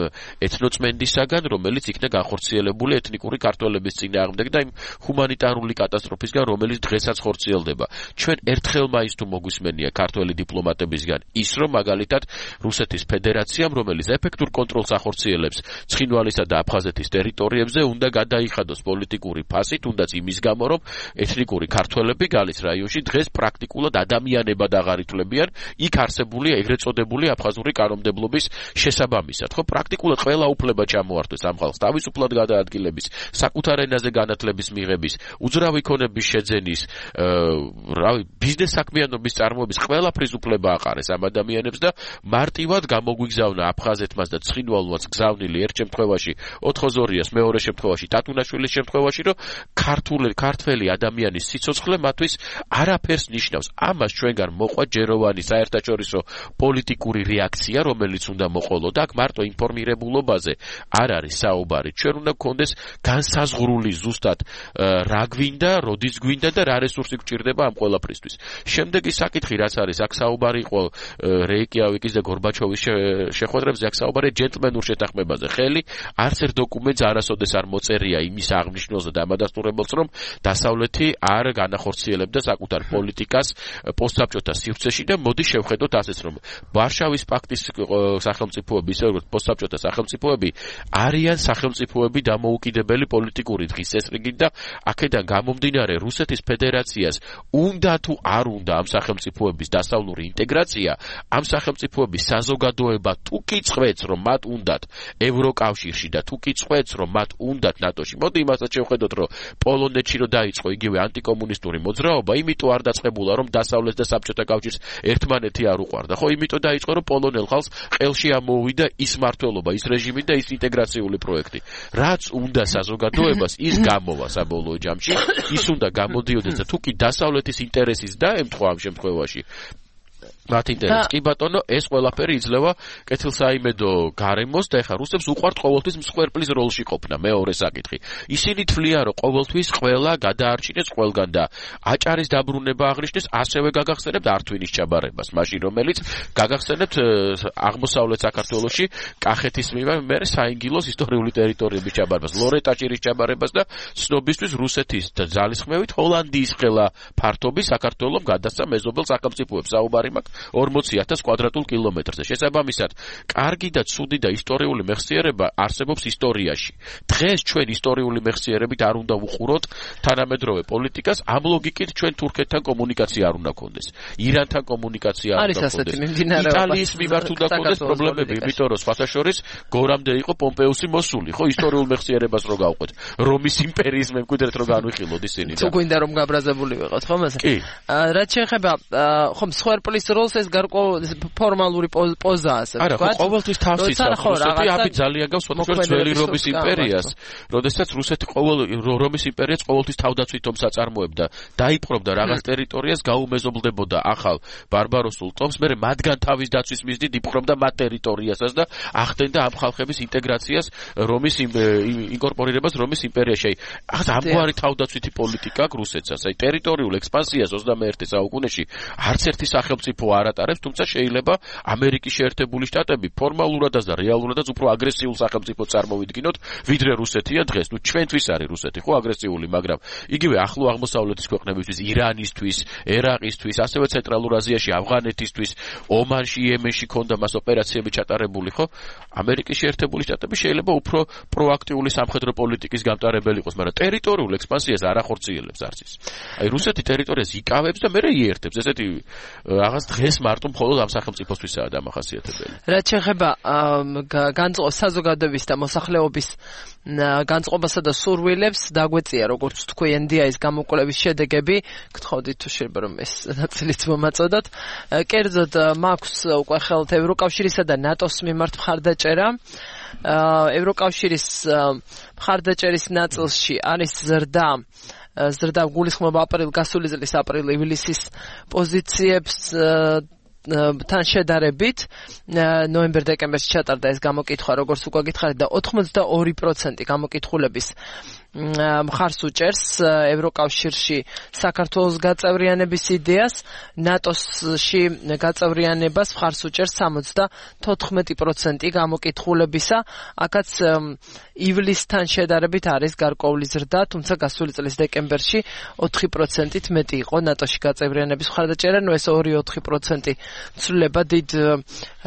ეთნოწმენდისაგან რომელიც იქნა განხორციელებული ეთნიკური ქართველების წინააღმდეგ და იმ ჰუმანიტარული კატასტროფისგან რომელიც დღესაც ხორციელდება ჩვენ ერთხელ მაინც თუ მოგვისმენია ქართველი დიპლომატებისგან ის რომ მაგალითად რუსეთის ფედერაციამ რომელიც ეფექტურ კონტროლს ახორციელებს ცხინვალისა და აფხაზეთის ტერიტორიებზე უნდა გადაიხადოს პოლიტიკური ფასი თუნდაც იმის გამო რომ ეთნიკური ქართველები გალის რაიონში დღეს პრაქტიკულად ადამიანებად აღარ ითვლებიან იქ არსებული ეგრეთ წოდებული აფხაზური კანონმდებლობის შესაბამისად ხო პრაქტიკულად ყველა უფლება ჩამოართვეს ამ ხალხს თავისუფლად გადაადგილების საკუთარ ენაზე განათლების მიღების უძრავი ქონების შეძენის რავი ბიზნეს საქმიანობის წარმოების ყველაფრის უფლება აყარეს ამ ადამიანებს და მარტივად გამოგვიგზავნა აფხაზეთმაც და ცხინვალმაც გზავნილი ერთ შემთხვევაში ოთხოზორიას მეორე შემთხვევაში ტატუნაშვილის შემთხვევაში რომ ქართული ქართველი ადამიანის სიცოცხლე მათთვის არაფერს ნიშნავს ამას ჩვენგან მოყვა ჯეროვანი საერთაშორისო პოლიტიკური რეაქცია რომელიც უნდა მოყოლო და აქ მარტო ინფორმირებულობაზე არ არის საუბარი ჩვენ უნდა გქონდეს განსაზღვრული ზუსტად რა გვინდა როდის გვინდა და რა რესურსი გვჭირდება ამ ყველაფრისთვის შემდეგი საკითხი რაც არის აქ საუბარი იყო რეიკიავიკის და გორბაჩოვის შეხვედრებზე აქ საუბარი ჯენტლმენურ შეთანხმებაზე ხელი არც ერთ დოკუმენტს არასოდეს არ მოწერია იმის აღნიშნულს და ამადასტურებელს რომ დასავლეთი არ განახორციელებდა საკუთარ პოლიტიკას პოსტსაბჭოთა სივრცეში და მოდი შევხედოთ ასეც რომ ვარშავის პაქტის სახელმწიფოები ისე როგორც პოსტსაბჭოთა სახელმწიფოები არიან სახელმწიფოები დამოუკიდებელი პოლიტიკური დღის წესრიგით და აქედან გამომდინარე რუსეთის ფედერაციას უნდა თუ არ უნდა ამ სახელმწიფოების დასავლური ნებისმიერი ინტეგრაცია ამ სახელმწიფოების საზოგადოება თუ კი წვეთს რომ მათ უნდათ ევროკავშირში და თუ კი წვეთს რომ მათ უნდათ ნატოში. მოდი იმასაც შევხედოთ რომ პოლონეთში რომ დაიწყო იგივე ანტიკომუნისტური მოძრაობა, იმიტომ არ დაწყებულა რომ დასავლეთ და საბჭოთა კავშირს ერთმანეთი არ უყვარდა. ხო, იმიტომ დაიწყო რომ პოლონელ ხალხს ყელში ამოუვიდა ის მმართველობა, ის რეჟიმი და ის ინტეგრაციული პროექტი. რაც უნდა საზოგადოებას ის გამოვა საბოლოო ჯამში, ის უნდა გამოდიოდეს და თუ კი დასავლეთის ინტერესის დაემთხვა ამ შემთხვევაში მათ ინტერესს. კი ბატონო, ეს ყველაფერი იძლევა კეთილსაიმედო გარემოს და ეხა რუსებს უყვართ ყოველთვის მსხვერპლის როლში ყოფნა. მეორე საკითხი. ისინი თვლიან, რომ ყოველთვის ყველა გადაარჩინეს ყველგან და აჭარის დაბრუნება აღნიშნეს, ასევე გაგახსენებთ ართვინის ჩაბარებას, მაშინ რომელიც გაგახსენებთ აღმოსავლეთ საქართველოში კახეთის მერე საინგილოს ისტორიული ტერიტორიების ჩაბარებას, ლორეტაჭირის ჩაბარებას და ცნობისთვის რუსეთის ძალისხმევით ჰოლანდიის ხელა ფართობის საქართველოს გადასცა მეზობელ სახელმწიფოებს. საუბარი მაქვს ორმოცი ათას კვადრატულ კილომეტრზე. შესაბამისად, კარგი და ცუდი და ისტორიული მეხსიერება არსებობს ისტორიაში. დღეს ჩვენ ისტორიული მეხსიერებით არ უნდა ვუყუროთ თანამედროვე პოლიტიკას, ამ ლოგიკით ჩვენ თურქეთთან კომუნიკაცია არ უნდა გქონდეს. ირანთან კომუნიკაცია არ უნდა გქონდეს. იტალიის მიმართ უნდა გქონდეს პრობლემები, იმიტომ რომ სხვათა შორის გორამდე იყო პომპეუსი მოსული, ხო, ისტორიულ მეხსიერებას რო გავყვეთ. რომის იმპერიის მემკვიდრეთ რო განვიხილოთ ისინი. თუ გვინდა რომ გაბრაზებული ვიყოთ, ხო მასე? რაც შეეხება ხომ მსხვერპლის როლს ეს გარკვეული ფორმალური პოზაა, ასე ვთქვათ. არა, ყოველთვის თავს იცავს რუსეთი, აფი ძალიან გავს სხვადასხვა ძველი რომის იმპერიას, როდესაც რუსეთი ყოველ რომის იმპერიას ყოველთვის თავდაცვით ომს აწარმოებდა, დაიპყრობდა რაღაც ტერიტორიას, გაუმეზობლდებოდა ახალ ბარბაროსულ ტომს, მერე მათგან თავის დაცვის მიზნით იპყრობდა მათ ტერიტორიასაც და ახდენდა ამ ხალხების ინტეგრაციას რომის ინკორპორირებას რომის იმპერიაში. აი, ამგვარი თავდაცვითი პოლიტიკა აქვს რუსეთსაც. აი, ტერიტორიულ ექსპანსიას ოცდამეერთე საუკუნეში არც ერთი სახელმწიფო არ ატარებს, თუმცა შეიძლება ამერიკის შეერთებული შტატები ფორმალურადაც და რეალურადაც უფრო აგრესიულ სახელმწიფო წარმოვიდგინოთ, ვიდრე რუსეთია დღეს. ნუ ჩვენთვის არის რუსეთი ხო აგრესიული, მაგრამ იგივე ახლო აღმოსავლეთის ქვეყნებისთვის, ირანისთვის, ერაყისთვის, ასევე ცენტრალურ აზიაში, ავღანეთისთვის, ომანში, იემენში ქონდა მას ოპერაციები ჩატარებული, ხო? ამერიკის შეერთებული შტატები შეიძლება უფრო პროაქტიული სამხედრო პოლიტიკის გამტარებელი იყოს, მაგრამ ტერიტორიულ ექსპანსიას არ ახორციელებს არც ის. აი რუსეთი ტერიტორიას იკავებს და მერე იერთებს. ესეთი რაღაც დღეს მარტო მხოლოდ ამ სახელმწიფოსთვისაა დამახასიათებელი. რაც შეეხება განწყობს საზოგადოების და მოსახლეობის განწყობასა და სურვილებს, დაგვეწია როგორც თქვი ენ დი აის გამოკვლევის შედეგები, გთხოვდით თუ შეიძლება რომ ეს ნაწილიც მომაწოდოთ. კერძოდ მაქვს უკვე ხელთ ევროკავშირისა და ნატოს მიმართ მხარდაჭერა. ევროკავშირის მხარდაჭერის ნაწილში არის ზრდა ზრდა გულისხმობა აპრილ გასული წლის აპრილ-ივლისის პოზიციებს თან შედარებით ნოემბერ-დეკემბერში ჩატარდა ეს გამოკითხვა, როგორც უკვე გითხარით და ოთხმოცდაორი პროცენტი გამოკითხულების მხარს უჭერს ევროკავშირში საქართველოს გაწევრიანების იდეას, ნატოში გაწევრიანებას მხარს უჭერს სამოცდათოთხმეტი პროცენტი გამოკითხულებისა. აქაც ივლისთან შედარებით არის გარკვეული ზრდა, თუმცა გასული წლის დეკემბერში ოთხი პროცენტით მეტი იყო ნატოში გაწევრიანების მხარდაჭერა. ნუ ეს ორი ოთხი პროცენტი ცვლილება დიდ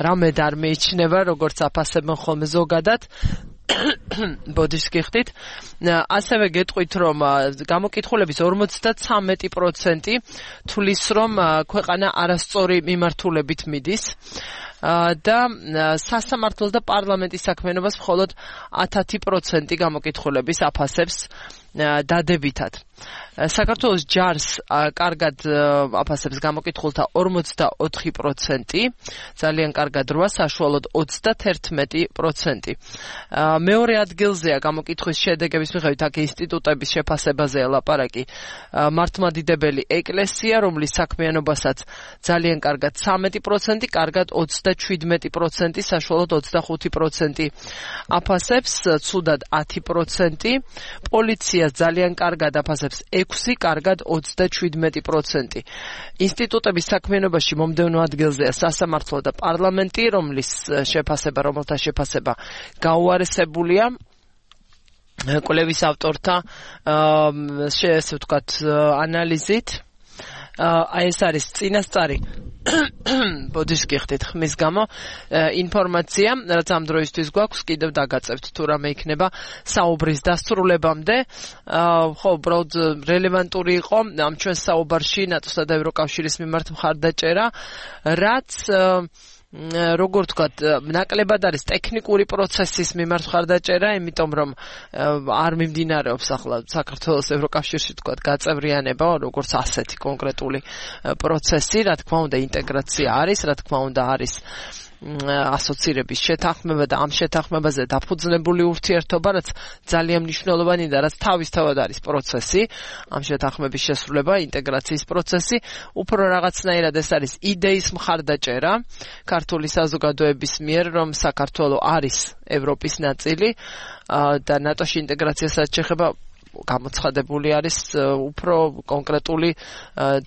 რამედ არ მიიჩნევა, როგორც აფასებენ ხოლმე ზოგადად. ბოდიშს გიხდით. ასევე გეტყვით, რომ გამოკითხულების ორმოცდათვრამეტი პროცენტი თვლის, რომ ქვეყანა არასწორი მიმართულებით მიდის და სასამართლოს და პარლამენტის საქმიანობას მხოლოდ ათი პროცენტი გამოკითხულების აფასებს დადებითად. საქართველოს ჯარს კარგად აფასებს გამოკითხულთა ორმოცდაოთხი პროცენტი, ძალიან კარგად რვა, საშუალოდ ოცდაათი პროცენტი. მეორე ადგილზეა გამოკითხვის შედეგების მიხედვით აქ ინსტიტუტების შეფასებაზეა ლაპარაკი მართლმადიდებელი ეკლესია, რომლის საქმიანობასაც ძალიან კარგად ცამეტი პროცენტი, კარგად ოცდაშვიდმეტი პროცენტი, საშუალოდ ოცდახუთი პროცენტი აფასებს, ცუდად ათი პროცენტი, პოლიცია ძალიან კარგად აფასებს ექვსი, კარგად ოცდაშვიდმეტი პროცენტი. ინსტიტუტების საქმიანობაში მომდევნო ადგილზეა სასამართლო და პარლამენტი, რომლის შეფასება, რომელთა შეფასება გაუარესებულია კვლევის ავტორთა ესე ვთქვათ ანალიზით. აი ეს არის წინასწარი ბოდის გიხდით ხმის გამო ინფორმაცია, რაც ამ დროისთვის გვაქვს, კიდევ დაგაწევთ თუ რამე იქნება საუბრის დასრულებამდე. ხო, უბრალოდ რელევანტური იყო ამ ჩვენს საუბარში ნატოსა და ევროკავშირის მიმართ მხარდაჭერა, რაც როგორ ვთქვათ, ნაკლებად არის ტექნიკური პროცესის მიმართ მხარდაჭერა, იმიტომ რომ არ მიმდინარეობს ახლა საქართველოს ევროკავშირში ვთქვათ გაწევრიანება, როგორც ასეთი კონკრეტული პროცესი, რა თქმა უნდა ინტეგრაცია არის, რა თქმა უნდა არის ასოცირების შეთანხმება და ამ შეთანხმებაზე დაფუძნებული ურთიერთობა, რაც ძალიან მნიშვნელოვანი და რაც თავისთავად არის პროცესი, ამ შეთანხმების შესრულება, ინტეგრაციის პროცესი, უფრო რაღაცნაირად ეს არის იდეის მხარდაჭერა ქართული საზოგადოების მიერ, რომ საქართველო არის ევროპის ნაწილი და ნატოში ინტეგრაციასაც შეეხება გამოცხადებული არის უფრო კონკრეტული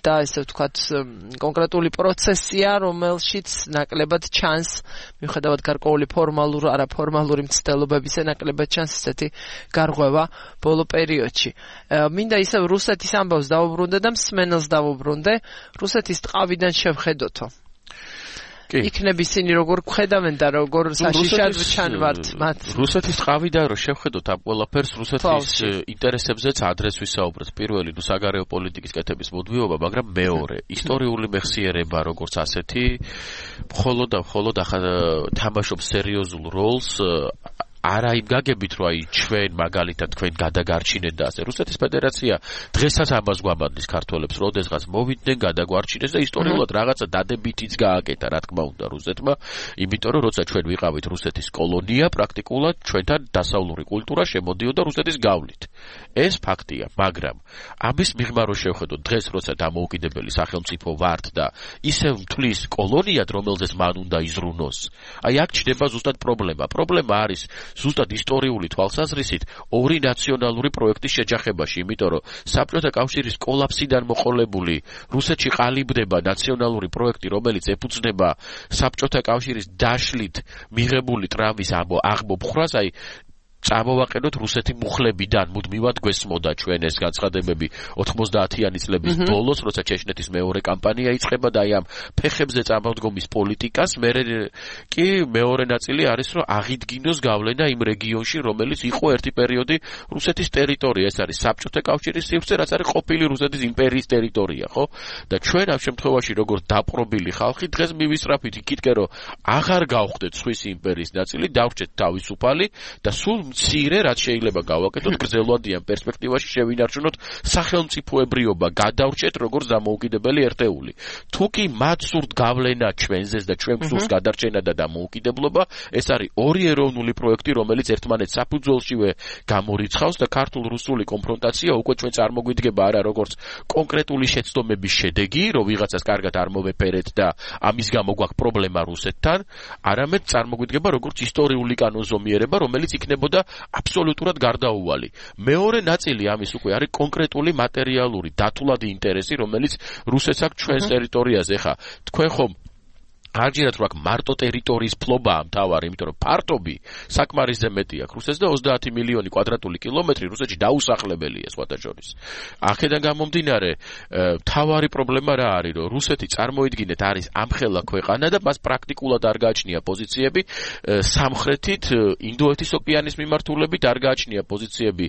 და ესე ვთქვათ კონკრეტული პროცესია, რომელშიც ნაკლებად ჩანს მიუხედავად გარკვეული ფორმალურ არაფორმალური მცდელობებისა ნაკლებად ჩანს ესეთი გარღვევა ბოლო პერიოდში. მინდა ისევ რუსეთის ამბავს დავუბრუნდე და მსმენელს დავუბრუნდე. რუსეთის ტყავიდან შევხედოთო. იქნებ ისინი როგორ ხედავენ და როგორ საშიშად ჩანვართ მათ. რუსეთის ტყავიდან რო შევხედოთ ამ ყველაფერს, რუსეთის ინტერესებზეც ადრეს ვისაუბრეთ. პირველი, ნუ საგარეო პოლიტიკის კეთების მოდვიობა, მაგრამ მეორე, ისტორიული მეხსიერება როგორც ასეთი, მხოლოდ და მხოლოდ თამაშობს სერიოზულ როლს არა იმ გაგებით, რომ აი ჩვენ მაგალითად თქვენ გადაგარჩინეთ და ასე. რუსეთის ფედერაცია დღესაც ამას გვაბანდის ქართველებს, როდესღაც მოვიდნენ, გადაგვარჩინეს და ისტორიულად რაღაცა დადებითიც გააკეთა, რა თქმა უნდა, რუსეთმა, იმიტომ რომ როცა ჩვენ ვიყავით რუსეთის კოლონია, პრაქტიკულად ჩვენთან დასავლური კულტურა შემოდიოდა რუსეთის გავლით. ეს ფაქტია, მაგრამ ამის მიღმა რო შევხედოთ, დღეს როცა დამოუკიდებელი სახელმწიფო ვართ და ისევ მთვლის კოლონიად, რომელზეც მან უნდა იზრუნოს, აი აქ ჩნდება ზუსტად პრობლემა. პრობლემა არის ზუსტად ისტორიული თვალსაზრისით ორი ნაციონალური პროექტის შეჯახებაში, იმიტომ რომ საბჭოთა კავშირის კოლაფსიდან მოყოლებული რუსეთში ყალიბდება ნაციონალური პროექტი, რომელიც ეფუძნება საბჭოთა კავშირის დაშლით მიღებული ტრამვის აღმოფხვრას, აი წამოვაყენოთ რუსეთი მუხლებიდან მუდმივად გვესმოდა ჩვენ ეს განცხადებები ოთხმოცდაათიანი წლების ბოლოს, როცა ჩეჩნეთის მეორე კამპანია იწყება და აი ამ ფეხებზე წამოდგომის პოლიტიკას მერე კი მეორე ნაწილი არის, რომ აღიდგინოს გავლენა იმ რეგიონში, რომელიც იყო ერთი პერიოდი რუსეთის ტერიტორია, ეს არის საბჭოთა კავშირის სივრცე, რაც არის ყოფილი რუსეთის იმპერიის ტერიტორია, ხო? და ჩვენ ამ შემთხვევაში როგორც დაპყრობილი ხალხი დღეს მივისწრაფით იქითკენ, რომ აღარ გავხდეთ სვისი იმპერიის ნაწილი, დავრჩეთ თავისუფალი და სულ მცირე რაც შეიძლება გავაკეთოთ გრძელვადიან პერსპექტივაში შევინარჩუნოთ სახელმწიფოებრიობა, გადავრჩეთ როგორც დამოუკიდებელი ერთეული. თუ კი მათ სურთ გავლენა ჩვენზეც და ჩვენ გსურს გადარჩენა და დამოუკიდებლობა, ეს არის ორი ეროვნული პროექტი, რომელიც ერთმანეთს საფუძველშივე გამორიცხავს და ქართულ-რუსული კონფრონტაცია უკვე ჩვენ წარმოგვიდგება არა როგორც კონკრეტული შეცდომების შედეგი, რომ ვიღაცას კარგად არ მოვეფერეთ და ამის გამო გვაქვს პრობლემა რუსეთთან, არამედ წარმოგვიდგება როგორც ისტორიული კანონზომიერება, რომელიც იქნებოდა აბსოლუტურად გარდაუვალი. მეორე ნაწილი ამის უკვე არის კონკრეტული მატერიალური დათვლადი ინტერესი, რომელიც რუსეთს აქვს ჩვენს ტერიტორიაზე. ხა თქვენ ხომ არჯერად რო აქ მარტო ტერიტორიის ფლობაა მთავარი, იმიტომ რომ ფართობი საკმარისზე მეტი აქვს რუსეთს და ოცდაათი მილიონი კვადრატული კილომეტრი რუსეთში დაუსახლებელია სხვათა შორის. აქედან გამომდინარე, მთავარი პრობლემა რა არის, რომ რუსეთი წარმოიდგინეთ არის ამხელა ქვეყანა და მას პრაქტიკულად არ გააჩნია პოზიციები სამხრეთით ინდოეთის ოკეანის მიმართულებით, არ გააჩნია პოზიციები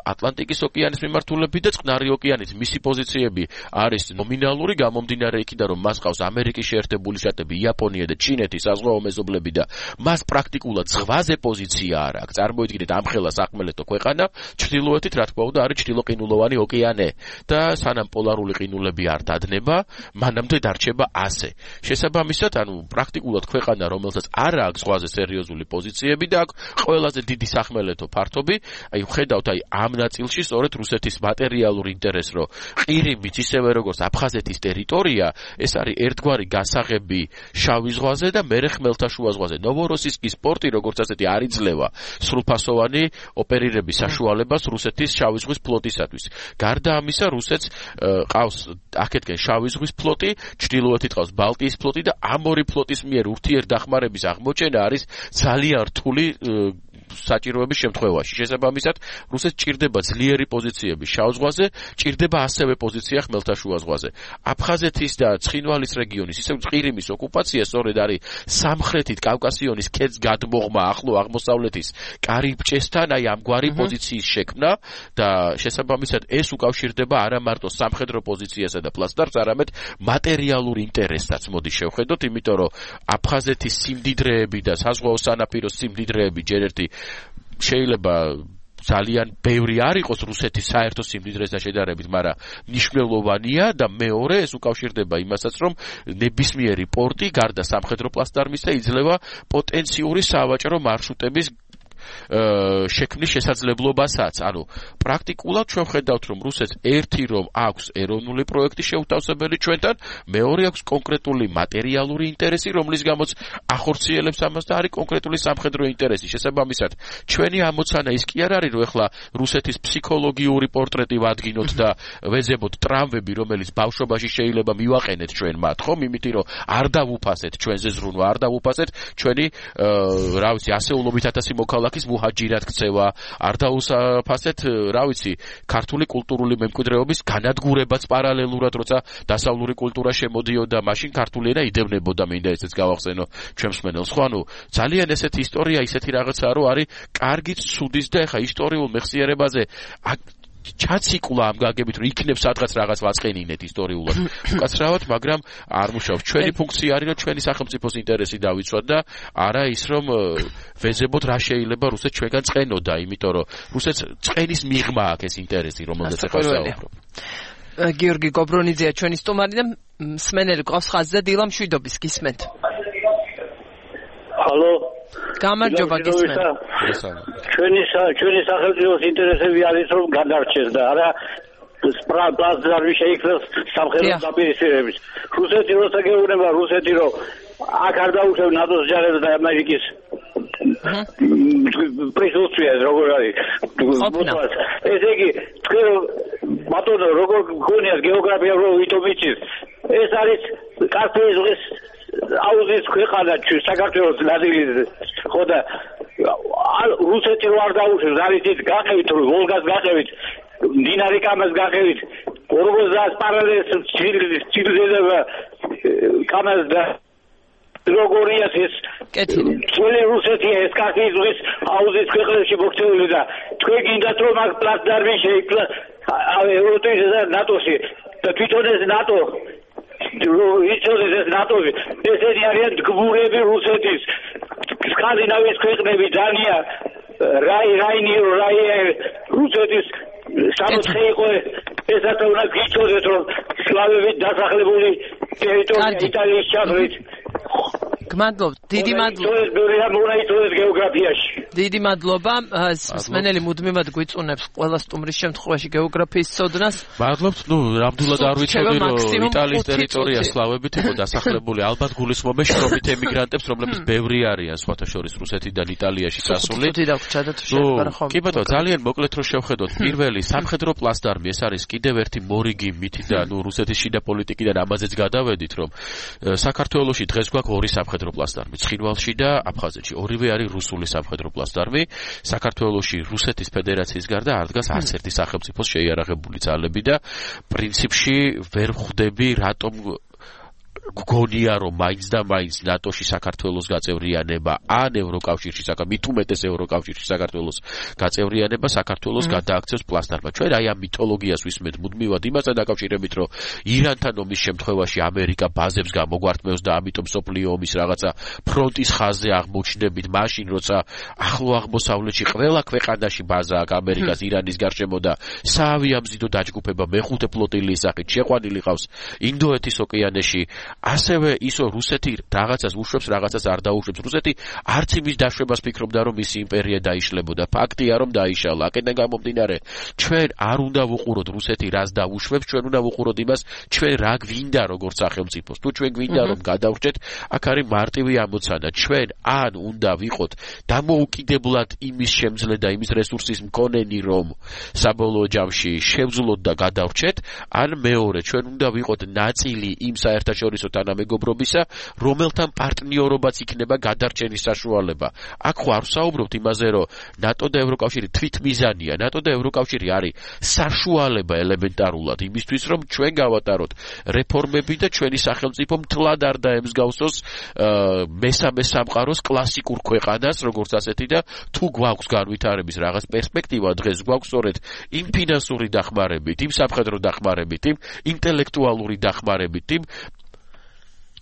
ატლანტიკის ოკეანის მიმართულებით და წყნარი ოკეანის მისი პოზიციები არის ნომინალური, გამომდინარე იქიდან რომ მას ყავს ამერიკის შეერთებული შტატები, იაპონია და ჩინეთი საზღვაო მეზობლები და მას პრაქტიკულად ზღვაზე პოზიცია არ აქვს. წარმოიდგინეთ ამხელა სახმელეთო ქვეყანა, ჩრდილოეთით რა თქმა უნდა არის ჩრდილოყინულოვანი ოკეანე და სანამ პოლარული ყინულები არ დადნება, მანამდე დარჩება ასე. შესაბამისად, ანუ პრაქტიკულად ქვეყანა, რომელსაც არ აქვს ზღვაზე სერიოზული პოზიციები და აქვს ყველაზე დიდი სახმელეთო ფართობი, აი ხედავთ აი ამ ნაწილში სწორედ რუსეთის მატერიალური ინტერესი, რომ ყირიმიც ისევე როგორც აფხაზეთის ტერიტორია, ეს არის ერთგვარი გასაღები შავი ზღვაზე და მერე ხმელთაშუა ზღვაზე. ნოვოროსისკის პორტი როგორც ასეთი არ იძლევა სრულფასოვანი ოპერირების საშუალებას რუსეთის შავი ზღვის ფლოტისათვის. გარდა ამისა, რუსეთს ყავს აქეთკენ შავი ზღვის ფლოტი, ჩრდილოეთით ყავს ბალტიის ფლოტი და ამ ორი ფლოტის მიერ ურთიერთდახმარების აღმოჩენა არის ძალიან რთული საჭიროების შემთხვევაში. შესაბამისად, რუსეთს ჭირდება ძლიერი პოზიციები შავ ზღვაზე, ჭირდება ასევე პოზიცია ხმელთაშუა ზღვაზე. აფხაზეთის და ცხინვალის რეგიონის, ისევ ყირიმის ოკუპაცია სწორედ არის სამხრეთით კავკასიონის ქედს გადმოღმა ახლო აღმოსავლეთის კარიბჭესთან, აი ამგვარი პოზიციის შექმნა და შესაბამისად ეს უკავშირდება არა მარტო სამხედრო პოზიციასა და პლასტარს, არამედ მატერიალურ ინტერესსაც მოდი შევხედოთ, იმიტომ რომ აფხაზეთის სიმდიდრეები და საზღვაო სანაპიროს სიმდიდრეები ჯერ ერთი შეიძლება ძალიან ბევრი არ იყოს რუსეთის საერთო სიმდიდრესთან შედარებით, მაგრამ მნიშვნელოვანია და მეორე ეს უკავშირდება იმასაც, რომ ნებისმიერი პორტი გარდა სამხედრო პლასტარმისა იძლევა პოტენციური სავაჭრო მარშრუტების შექმნის შესაძლებლობასაც. ანუ პრაქტიკულად ჩვენ ხედავთ, რომ რუსეთს ერთი რომ აქვს ეროვნული პროექტი შეუთავსებელი ჩვენთან, მეორე აქვს კონკრეტული მატერიალური ინტერესი, რომლის გამოც ახორციელებს ამას და არის კონკრეტული სამხედრო ინტერესი. შესაბამისად, ჩვენი ამოცანა ის კი არ არის, რომ ეხლა რუსეთის ფსიქოლოგიური პორტრეტი ვადგინოთ და ვეძებოთ ტრამვები, რომელიც ბავშვობაში შეიძლება მივაყენეთ ჩვენ მათ, ხომ? იმიტომ რომ არ დავუფასეთ ჩვენზე ზრუნვა, არ დავუფასეთ ჩვენი რა ვიცი, ასეულობით ათასი მოქალაქე ის მუჰაჯირად ქცევა, არ დაუსაფასეთ, რა ვიცი, ქართული კულტურული მემკვიდრეობის განადგურებაც პარალელურად, როცა დასავლური კულტურა შემოდიოდა, მაშინ ქართული ენა იდევნებოდა, მინდა ესეც გავახსენო ჩვენ მსმენელს. ხო, ანუ ძალიან ესეთი ისტორია, ისეთი რაღაცაა, რომ არის კარგი ცუდის და ეხა ისტორიულ მეხსიერებაზე ჩაციკლა ამ გაგებით, რომ იქნებ სადღაც რაღაც ვაწყენინეთ ისტორიულად. უკაცრავად, მაგრამ არ მუშაობს. ჩვენი ფუნქცია არის, რომ ჩვენი სახელმწიფოს ინტერესი დავიცვათ და არა ის, რომ ვეძებოთ რა შეიძლება რუსეთს ჩვენგან წყენოდა, იმიტომ რომ რუსეთს წყენის მიღმა აქვს ეს ინტერესი, რომელზეც ახლა ვსაუბრობ. გიორგი გობრონიძეა ჩვენი სტუმარი და მსმენელი გვყავს ხაზზე, დილა მშვიდობის გისმენთ. ჰალო. გამარჯობა გისმენთ. ჩვენი ჩვენი სახელმწიფოს ინტერესები არის რომ გადარჩეს და არა პლასტარმი შეიქმნას სამხედრო დაპირისპირების. რუსეთი როცა გეუბნება რუსეთი რომ აქ არ დაუშვებ ნატოს ჯარებს და ამერიკის პრისუსტვია როგორ არის. ესე იგი თქვენ ბატონო როგორ გქონიათ გეოგრაფია რო ვითომ იცით ეს არის კასპიის ზღვის აუზის ქვეყანა საქართველოს ნაწილი ხო და რუსეთი რო არ დაუშვებს არის ის გაყევით რომ ვოლგას გაყევით მდინარე კამას გაყევით ორგოზას პარალელს ცილდება კამას და როგორია ეს ძველი რუსეთია ეს კასპიის ზღვის აუზის ქვეყნებში მოქცეული და თქვენ გინდათ რომ აქ პლასტარმი შეიქმნა ევროპის და ნატოში და თვითონ ეს ნატო იცოდეს ეს ნატოში ესენი არიან გმურები რუსეთის სკანდინავიის ქვეყნები დანია რაი რაინი რაი რუსეთის სამოთხე იყო ესაც უნდა გიცოდეთ რომ სლავებით დასახლებული ტერიტორია იტალიის ჩაღრით გმადლობ, დიდი მადლობა. დიდი მადლობა. მსმენელი მუდმივად გვიწუნებს ყველა სტუმრის შემთხვევაში გეოგრაფიის ცოდნას. მადლობთ, ნუ ნამდვილად არ ვიცოდი რომ იტალიის ტერიტორია სლავებით იყო დასახლებული. ალბათ გულისხმობენ შრომით ემიგრანტებს, რომლებიც ბევრი არიან სხვათა შორის რუსეთიდან იტალიაში გასული. კი ბატონო, ძალიან მოკლედ რომ შევხედოთ, პირველი სამხედრო პლასტარმი, ეს არის კიდევ ერთი მორიგი მითი და ნუ რუსეთის შიდა პოლიტიკიდან ამაზეც გადავედით, რომ საქართველოში დღეს გვაქვს ორი სამხედრო პლასტარმი, ცხინვალში და აფხაზეთში. ორივე არის რუსული სამხედრო პლასტარმი. საქართველოში რუსეთის ფედერაციის გარდა არ დგას არც ერთი სახელმწიფოს შეიარაღებული ძალები და პრინციპში ვერ ხვდები რატომ გგონია რომ მაინც და მაინც ნატოში საქართველოს გაწევრიანება ან ევროკავშირში მით უმეტეს ევროკავშირში საქართველოს გაწევრიანება საქართველოს გადააქცევს პლასტარმა. ჩვენ აი ამ მითოლოგიას ვისმენთ მუდმივად იმასთან დაკავშირებით რომ ირანთან ომის შემთხვევაში ამერიკა ბაზებს გამოგვართმევს და ამიტომ სოფლიო ომის რაღაცა ფრონტის ხაზზე აღმოჩნდებით მაშინ როცა ახლო აღმოსავლეთში ყველა ქვეყანაში ბაზა აქვს ამერიკას ირანის გარშემო და საავიამზიდო დაჯგუფება მეხუთე ფლოტილიის სახით შეყვანილი ყავს ინდოეთის ოკეანეში. ასევე ისო რუსეთი რაღაცას უშვებს, რაღაცას არ დაუშვებს. რუსეთი არც იმის დაშვებას ფიქრობდა, რომ მისი იმპერია დაიშლებოდა. ფაქტია, რომ დაიშალა. აქედან გამომდინარე, ჩვენ არ უნდა ვუყუროთ რუსეთი რას დაუშვებს, ჩვენ უნდა ვუყუროთ იმას, ჩვენ რა გვინდა როგორც სახელმწიფოს. თუ ჩვენ გვინდა რომ გადავრჩეთ, აქ არის მარტივი ამოცანა. ჩვენ ან უნდა ვიყოთ დამოუკიდებლად იმის შემძლე და იმის რესურსის მქონენი, რომ საბოლოო ჯამში შევძლოთ და გადავრჩეთ, ან მეორე, ჩვენ უნდა ვიყოთ ნაწილი იმ საერთაშორისო თანამეგობრობისა, რომელთან პარტნიორობაც იქნება გადარჩენის საშუალება. აქ ხო არ ვსაუბრობთ იმაზე, რომ ნატო და ევროკავშირი თვითმიზანია. ნატო და ევროკავშირი არის საშუალება ელემენტარულად იმისთვის, რომ ჩვენ გავატაროთ რეფორმები და ჩვენი სახელმწიფო მთლად არ დაემსგავსოს მესამე სამყაროს კლასიკურ ქვეყანას, როგორც ასეთი და თუ გვაქვს განვითარების რაღაც პერსპექტივა, დღეს გვაქვს სწორედ იმ ფინანსური დახმარებით, იმ სამხედრო დახმარებით, იმ ინტელექტუალური დახმარებით, იმ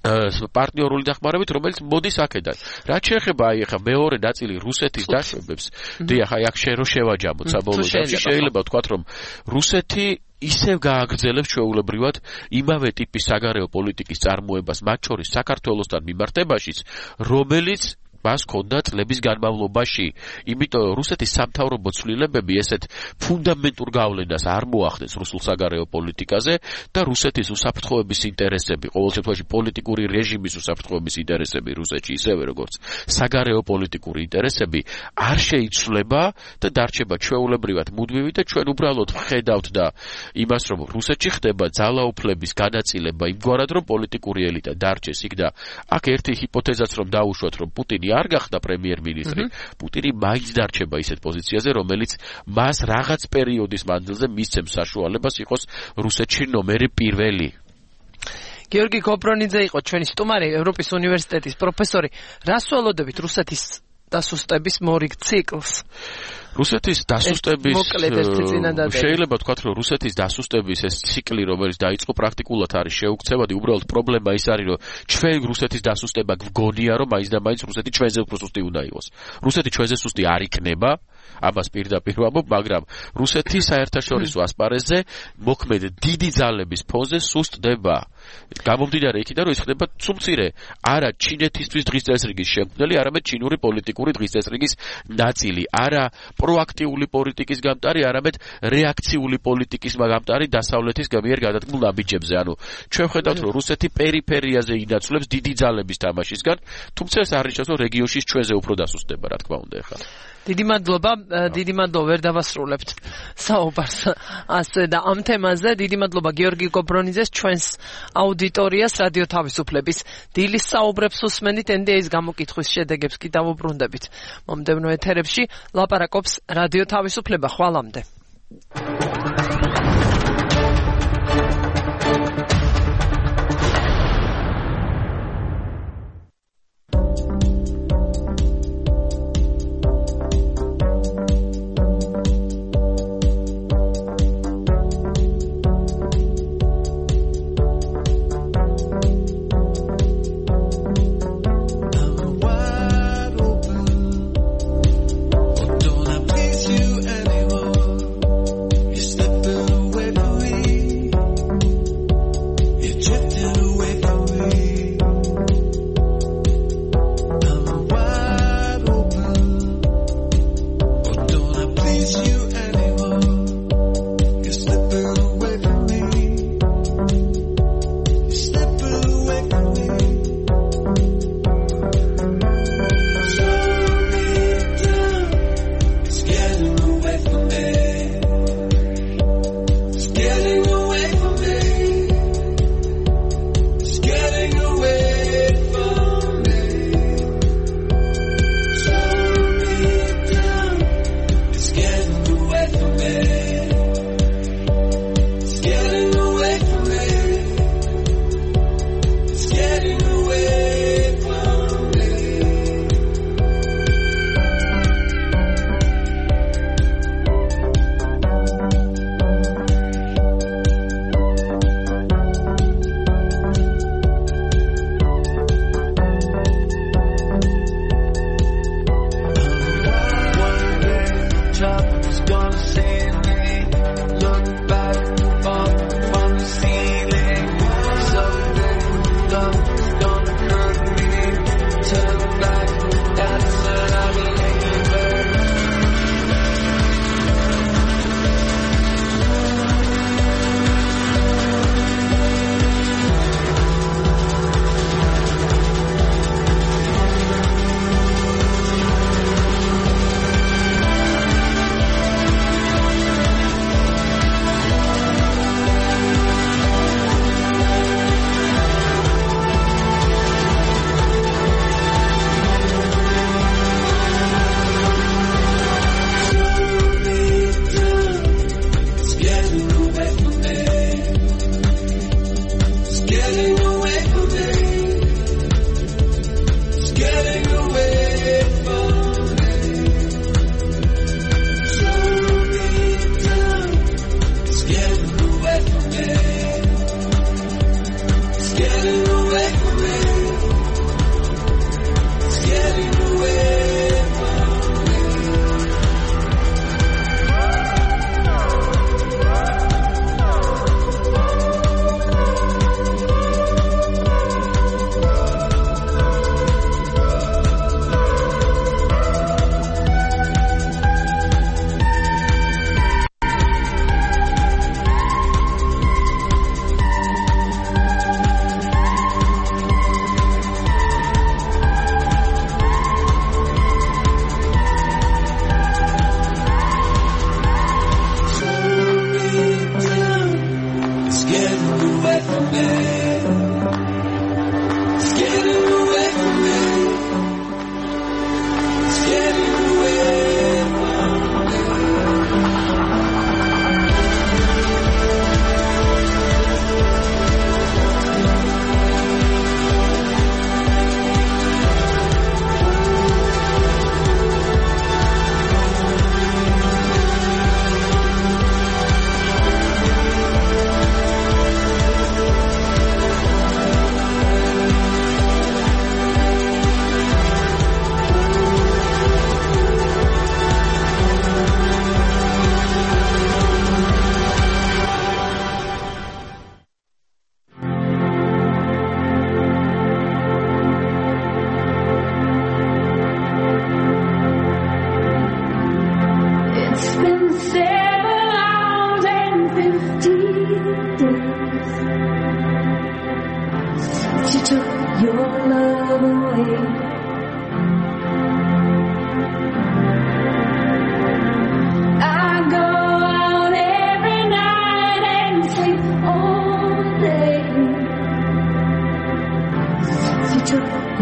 პარტნიორული დახმარებით, რომელიც მოდის აქედან. რაც შეეხება აი ახლა მეორე ნაწილი რუსეთის დაშვებებს, დიახ, აი აქ შერო შევაჯამოთ საბოლოო ჯამში, შეიძლება ვთქვათ, რომ რუსეთი ისევ გააგრძელებს ჩვეულებრივად იმავე ტიპის საგარეო პოლიტიკის წარმოებას, მათ შორის საქართველოსთან მიმართებაშიც, რომელიც მას ჰქონდა წლების განმავლობაში. იმიტომ რუსეთის სამთავრობო ცვლილებები ესეთ ფუნდამენტურ გავლენას არ მოახდენს რუსულ საგარეო პოლიტიკაზე და რუსეთის უსაფრთხოების ინტერესები, ყოველ შემთხვევაში პოლიტიკური რეჟიმის უსაფრთხოების ინტერესები რუსეთში, ისევე როგორც საგარეო პოლიტიკური ინტერესები არ შეიცვლება და დარჩება ჩვეულებრივად მუდმივი და ჩვენ უბრალოდ ვხედავთ და იმას, რომ რუსეთში ხდება ძალაუფლების განაწილება იმგვარად, რომ პოლიტიკური ელიტა დარჩეს იქ და აქ ერთი ჰიპოთეზაც რომ დაუშვათ, რომ პუტინი არ გახდა პრემიერ-მინისტრი, პუტინი მაინც დარჩება ისეთ პოზიციაზე, რომელიც მას რაღაც პერიოდის მანძილზე მისცემს საშუალებას იყოს რუსეთში ნომერი პირველი. გიორგი გობრონიძე იყო ჩვენი სტუმარი, ევროპის უნივერსიტეტის პროფესორი. რას ველოდებით რუსეთის დასუსტების მორიგ ციკლს? რუსეთის დასუსტების შეიძლება ვთქვათ, რომ რუსეთის დასუსტების ეს ციკლი, რომელიც დაიწყო პრაქტიკულად არის შეუქცევადი, უბრალოდ პრობლემა ის არის, რომ ჩვენ რუსეთის დასუსტება გვგონია, რომ მაინც და მაინც რუსეთი ჩვენზე უფრო სუსტი უნდა იყოს. რუსეთი ჩვენზე სუსტი არ იქნება, ამას პირდაპირ ვამბობ, მაგრამ რუსეთი საერთაშორისო ასპარეზზე მოქმედ დიდი ძალების ფონზე სუსტდება. გამომდინარე იქიდან, რომ ის ხდება ცუმცირე არა ჩინეთისთვის დღის წესრიგის შემქმნელი, არამედ ჩინური პოლიტიკური დღის წესრიგის ნაწილი, არა პროაქტიული პოლიტიკის გამტარი, არამედ რეაქციული პოლიტიკის გამტარი დასავლეთის მიერ გადადგმულ ნაბიჯებზე. ანუ ჩვენ ვხედავთ, რომ რუსეთი პერიფერიაზე ინაცვლებს დიდი ძალების თამაშისგან, თუმცა ეს არ ნიშნავს, რომ რეგიონში ჩვენზე უფრო დასუსტდება, რა თქმა უნდა ახლა. დიდი მადლობა, დიდი მადლობა, ვერ დავასრულებთ საუბარს ასე და ამ თემაზე. დიდი მადლობა გიორგი გობრონიძეს, ჩვენს აუდიტორიას, რადიო თავისუფლების დილის საუბრებს უსმენთ, ენ დი ეის გამოკითხვის შედეგებს კი დავუბრუნდებით. მომდევნო ეთერებში ლაპარაკობს რადიო თავისუფლება. ხვალამდე. Don't I please you anymore?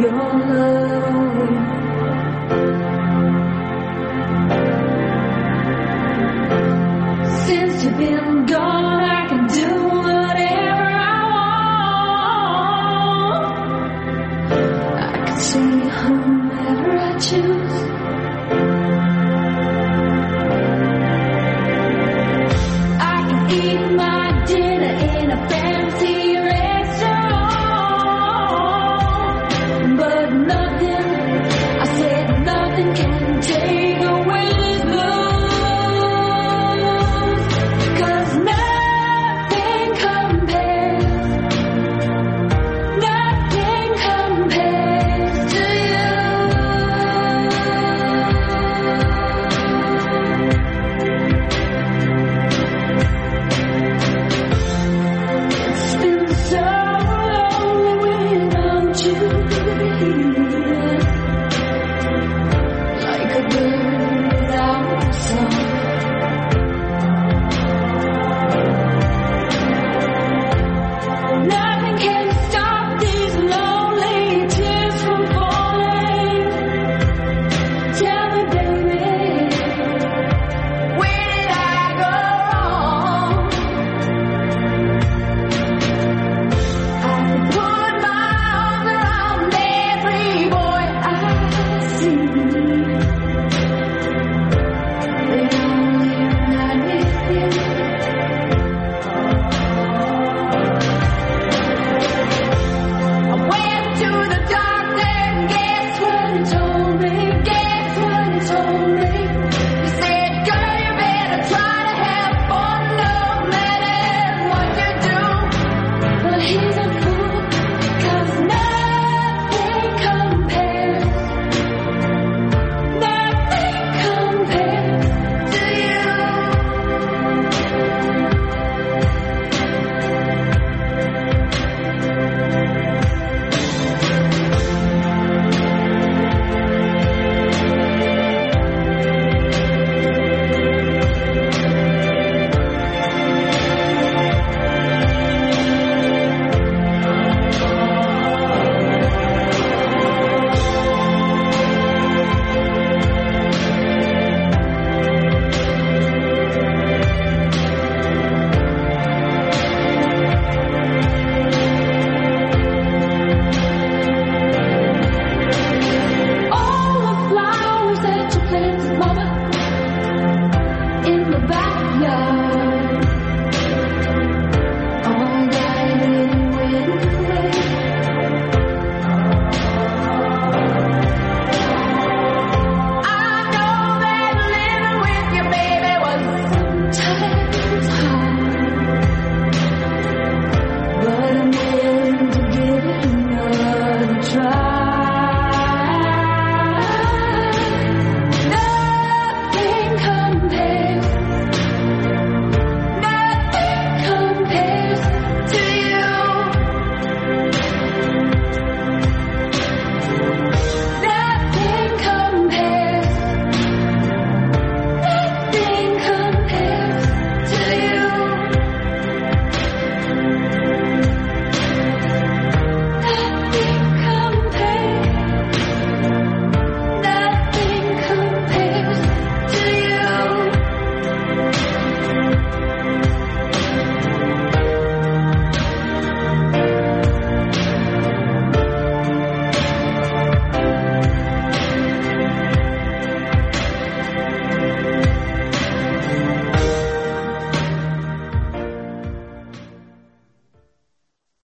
Your love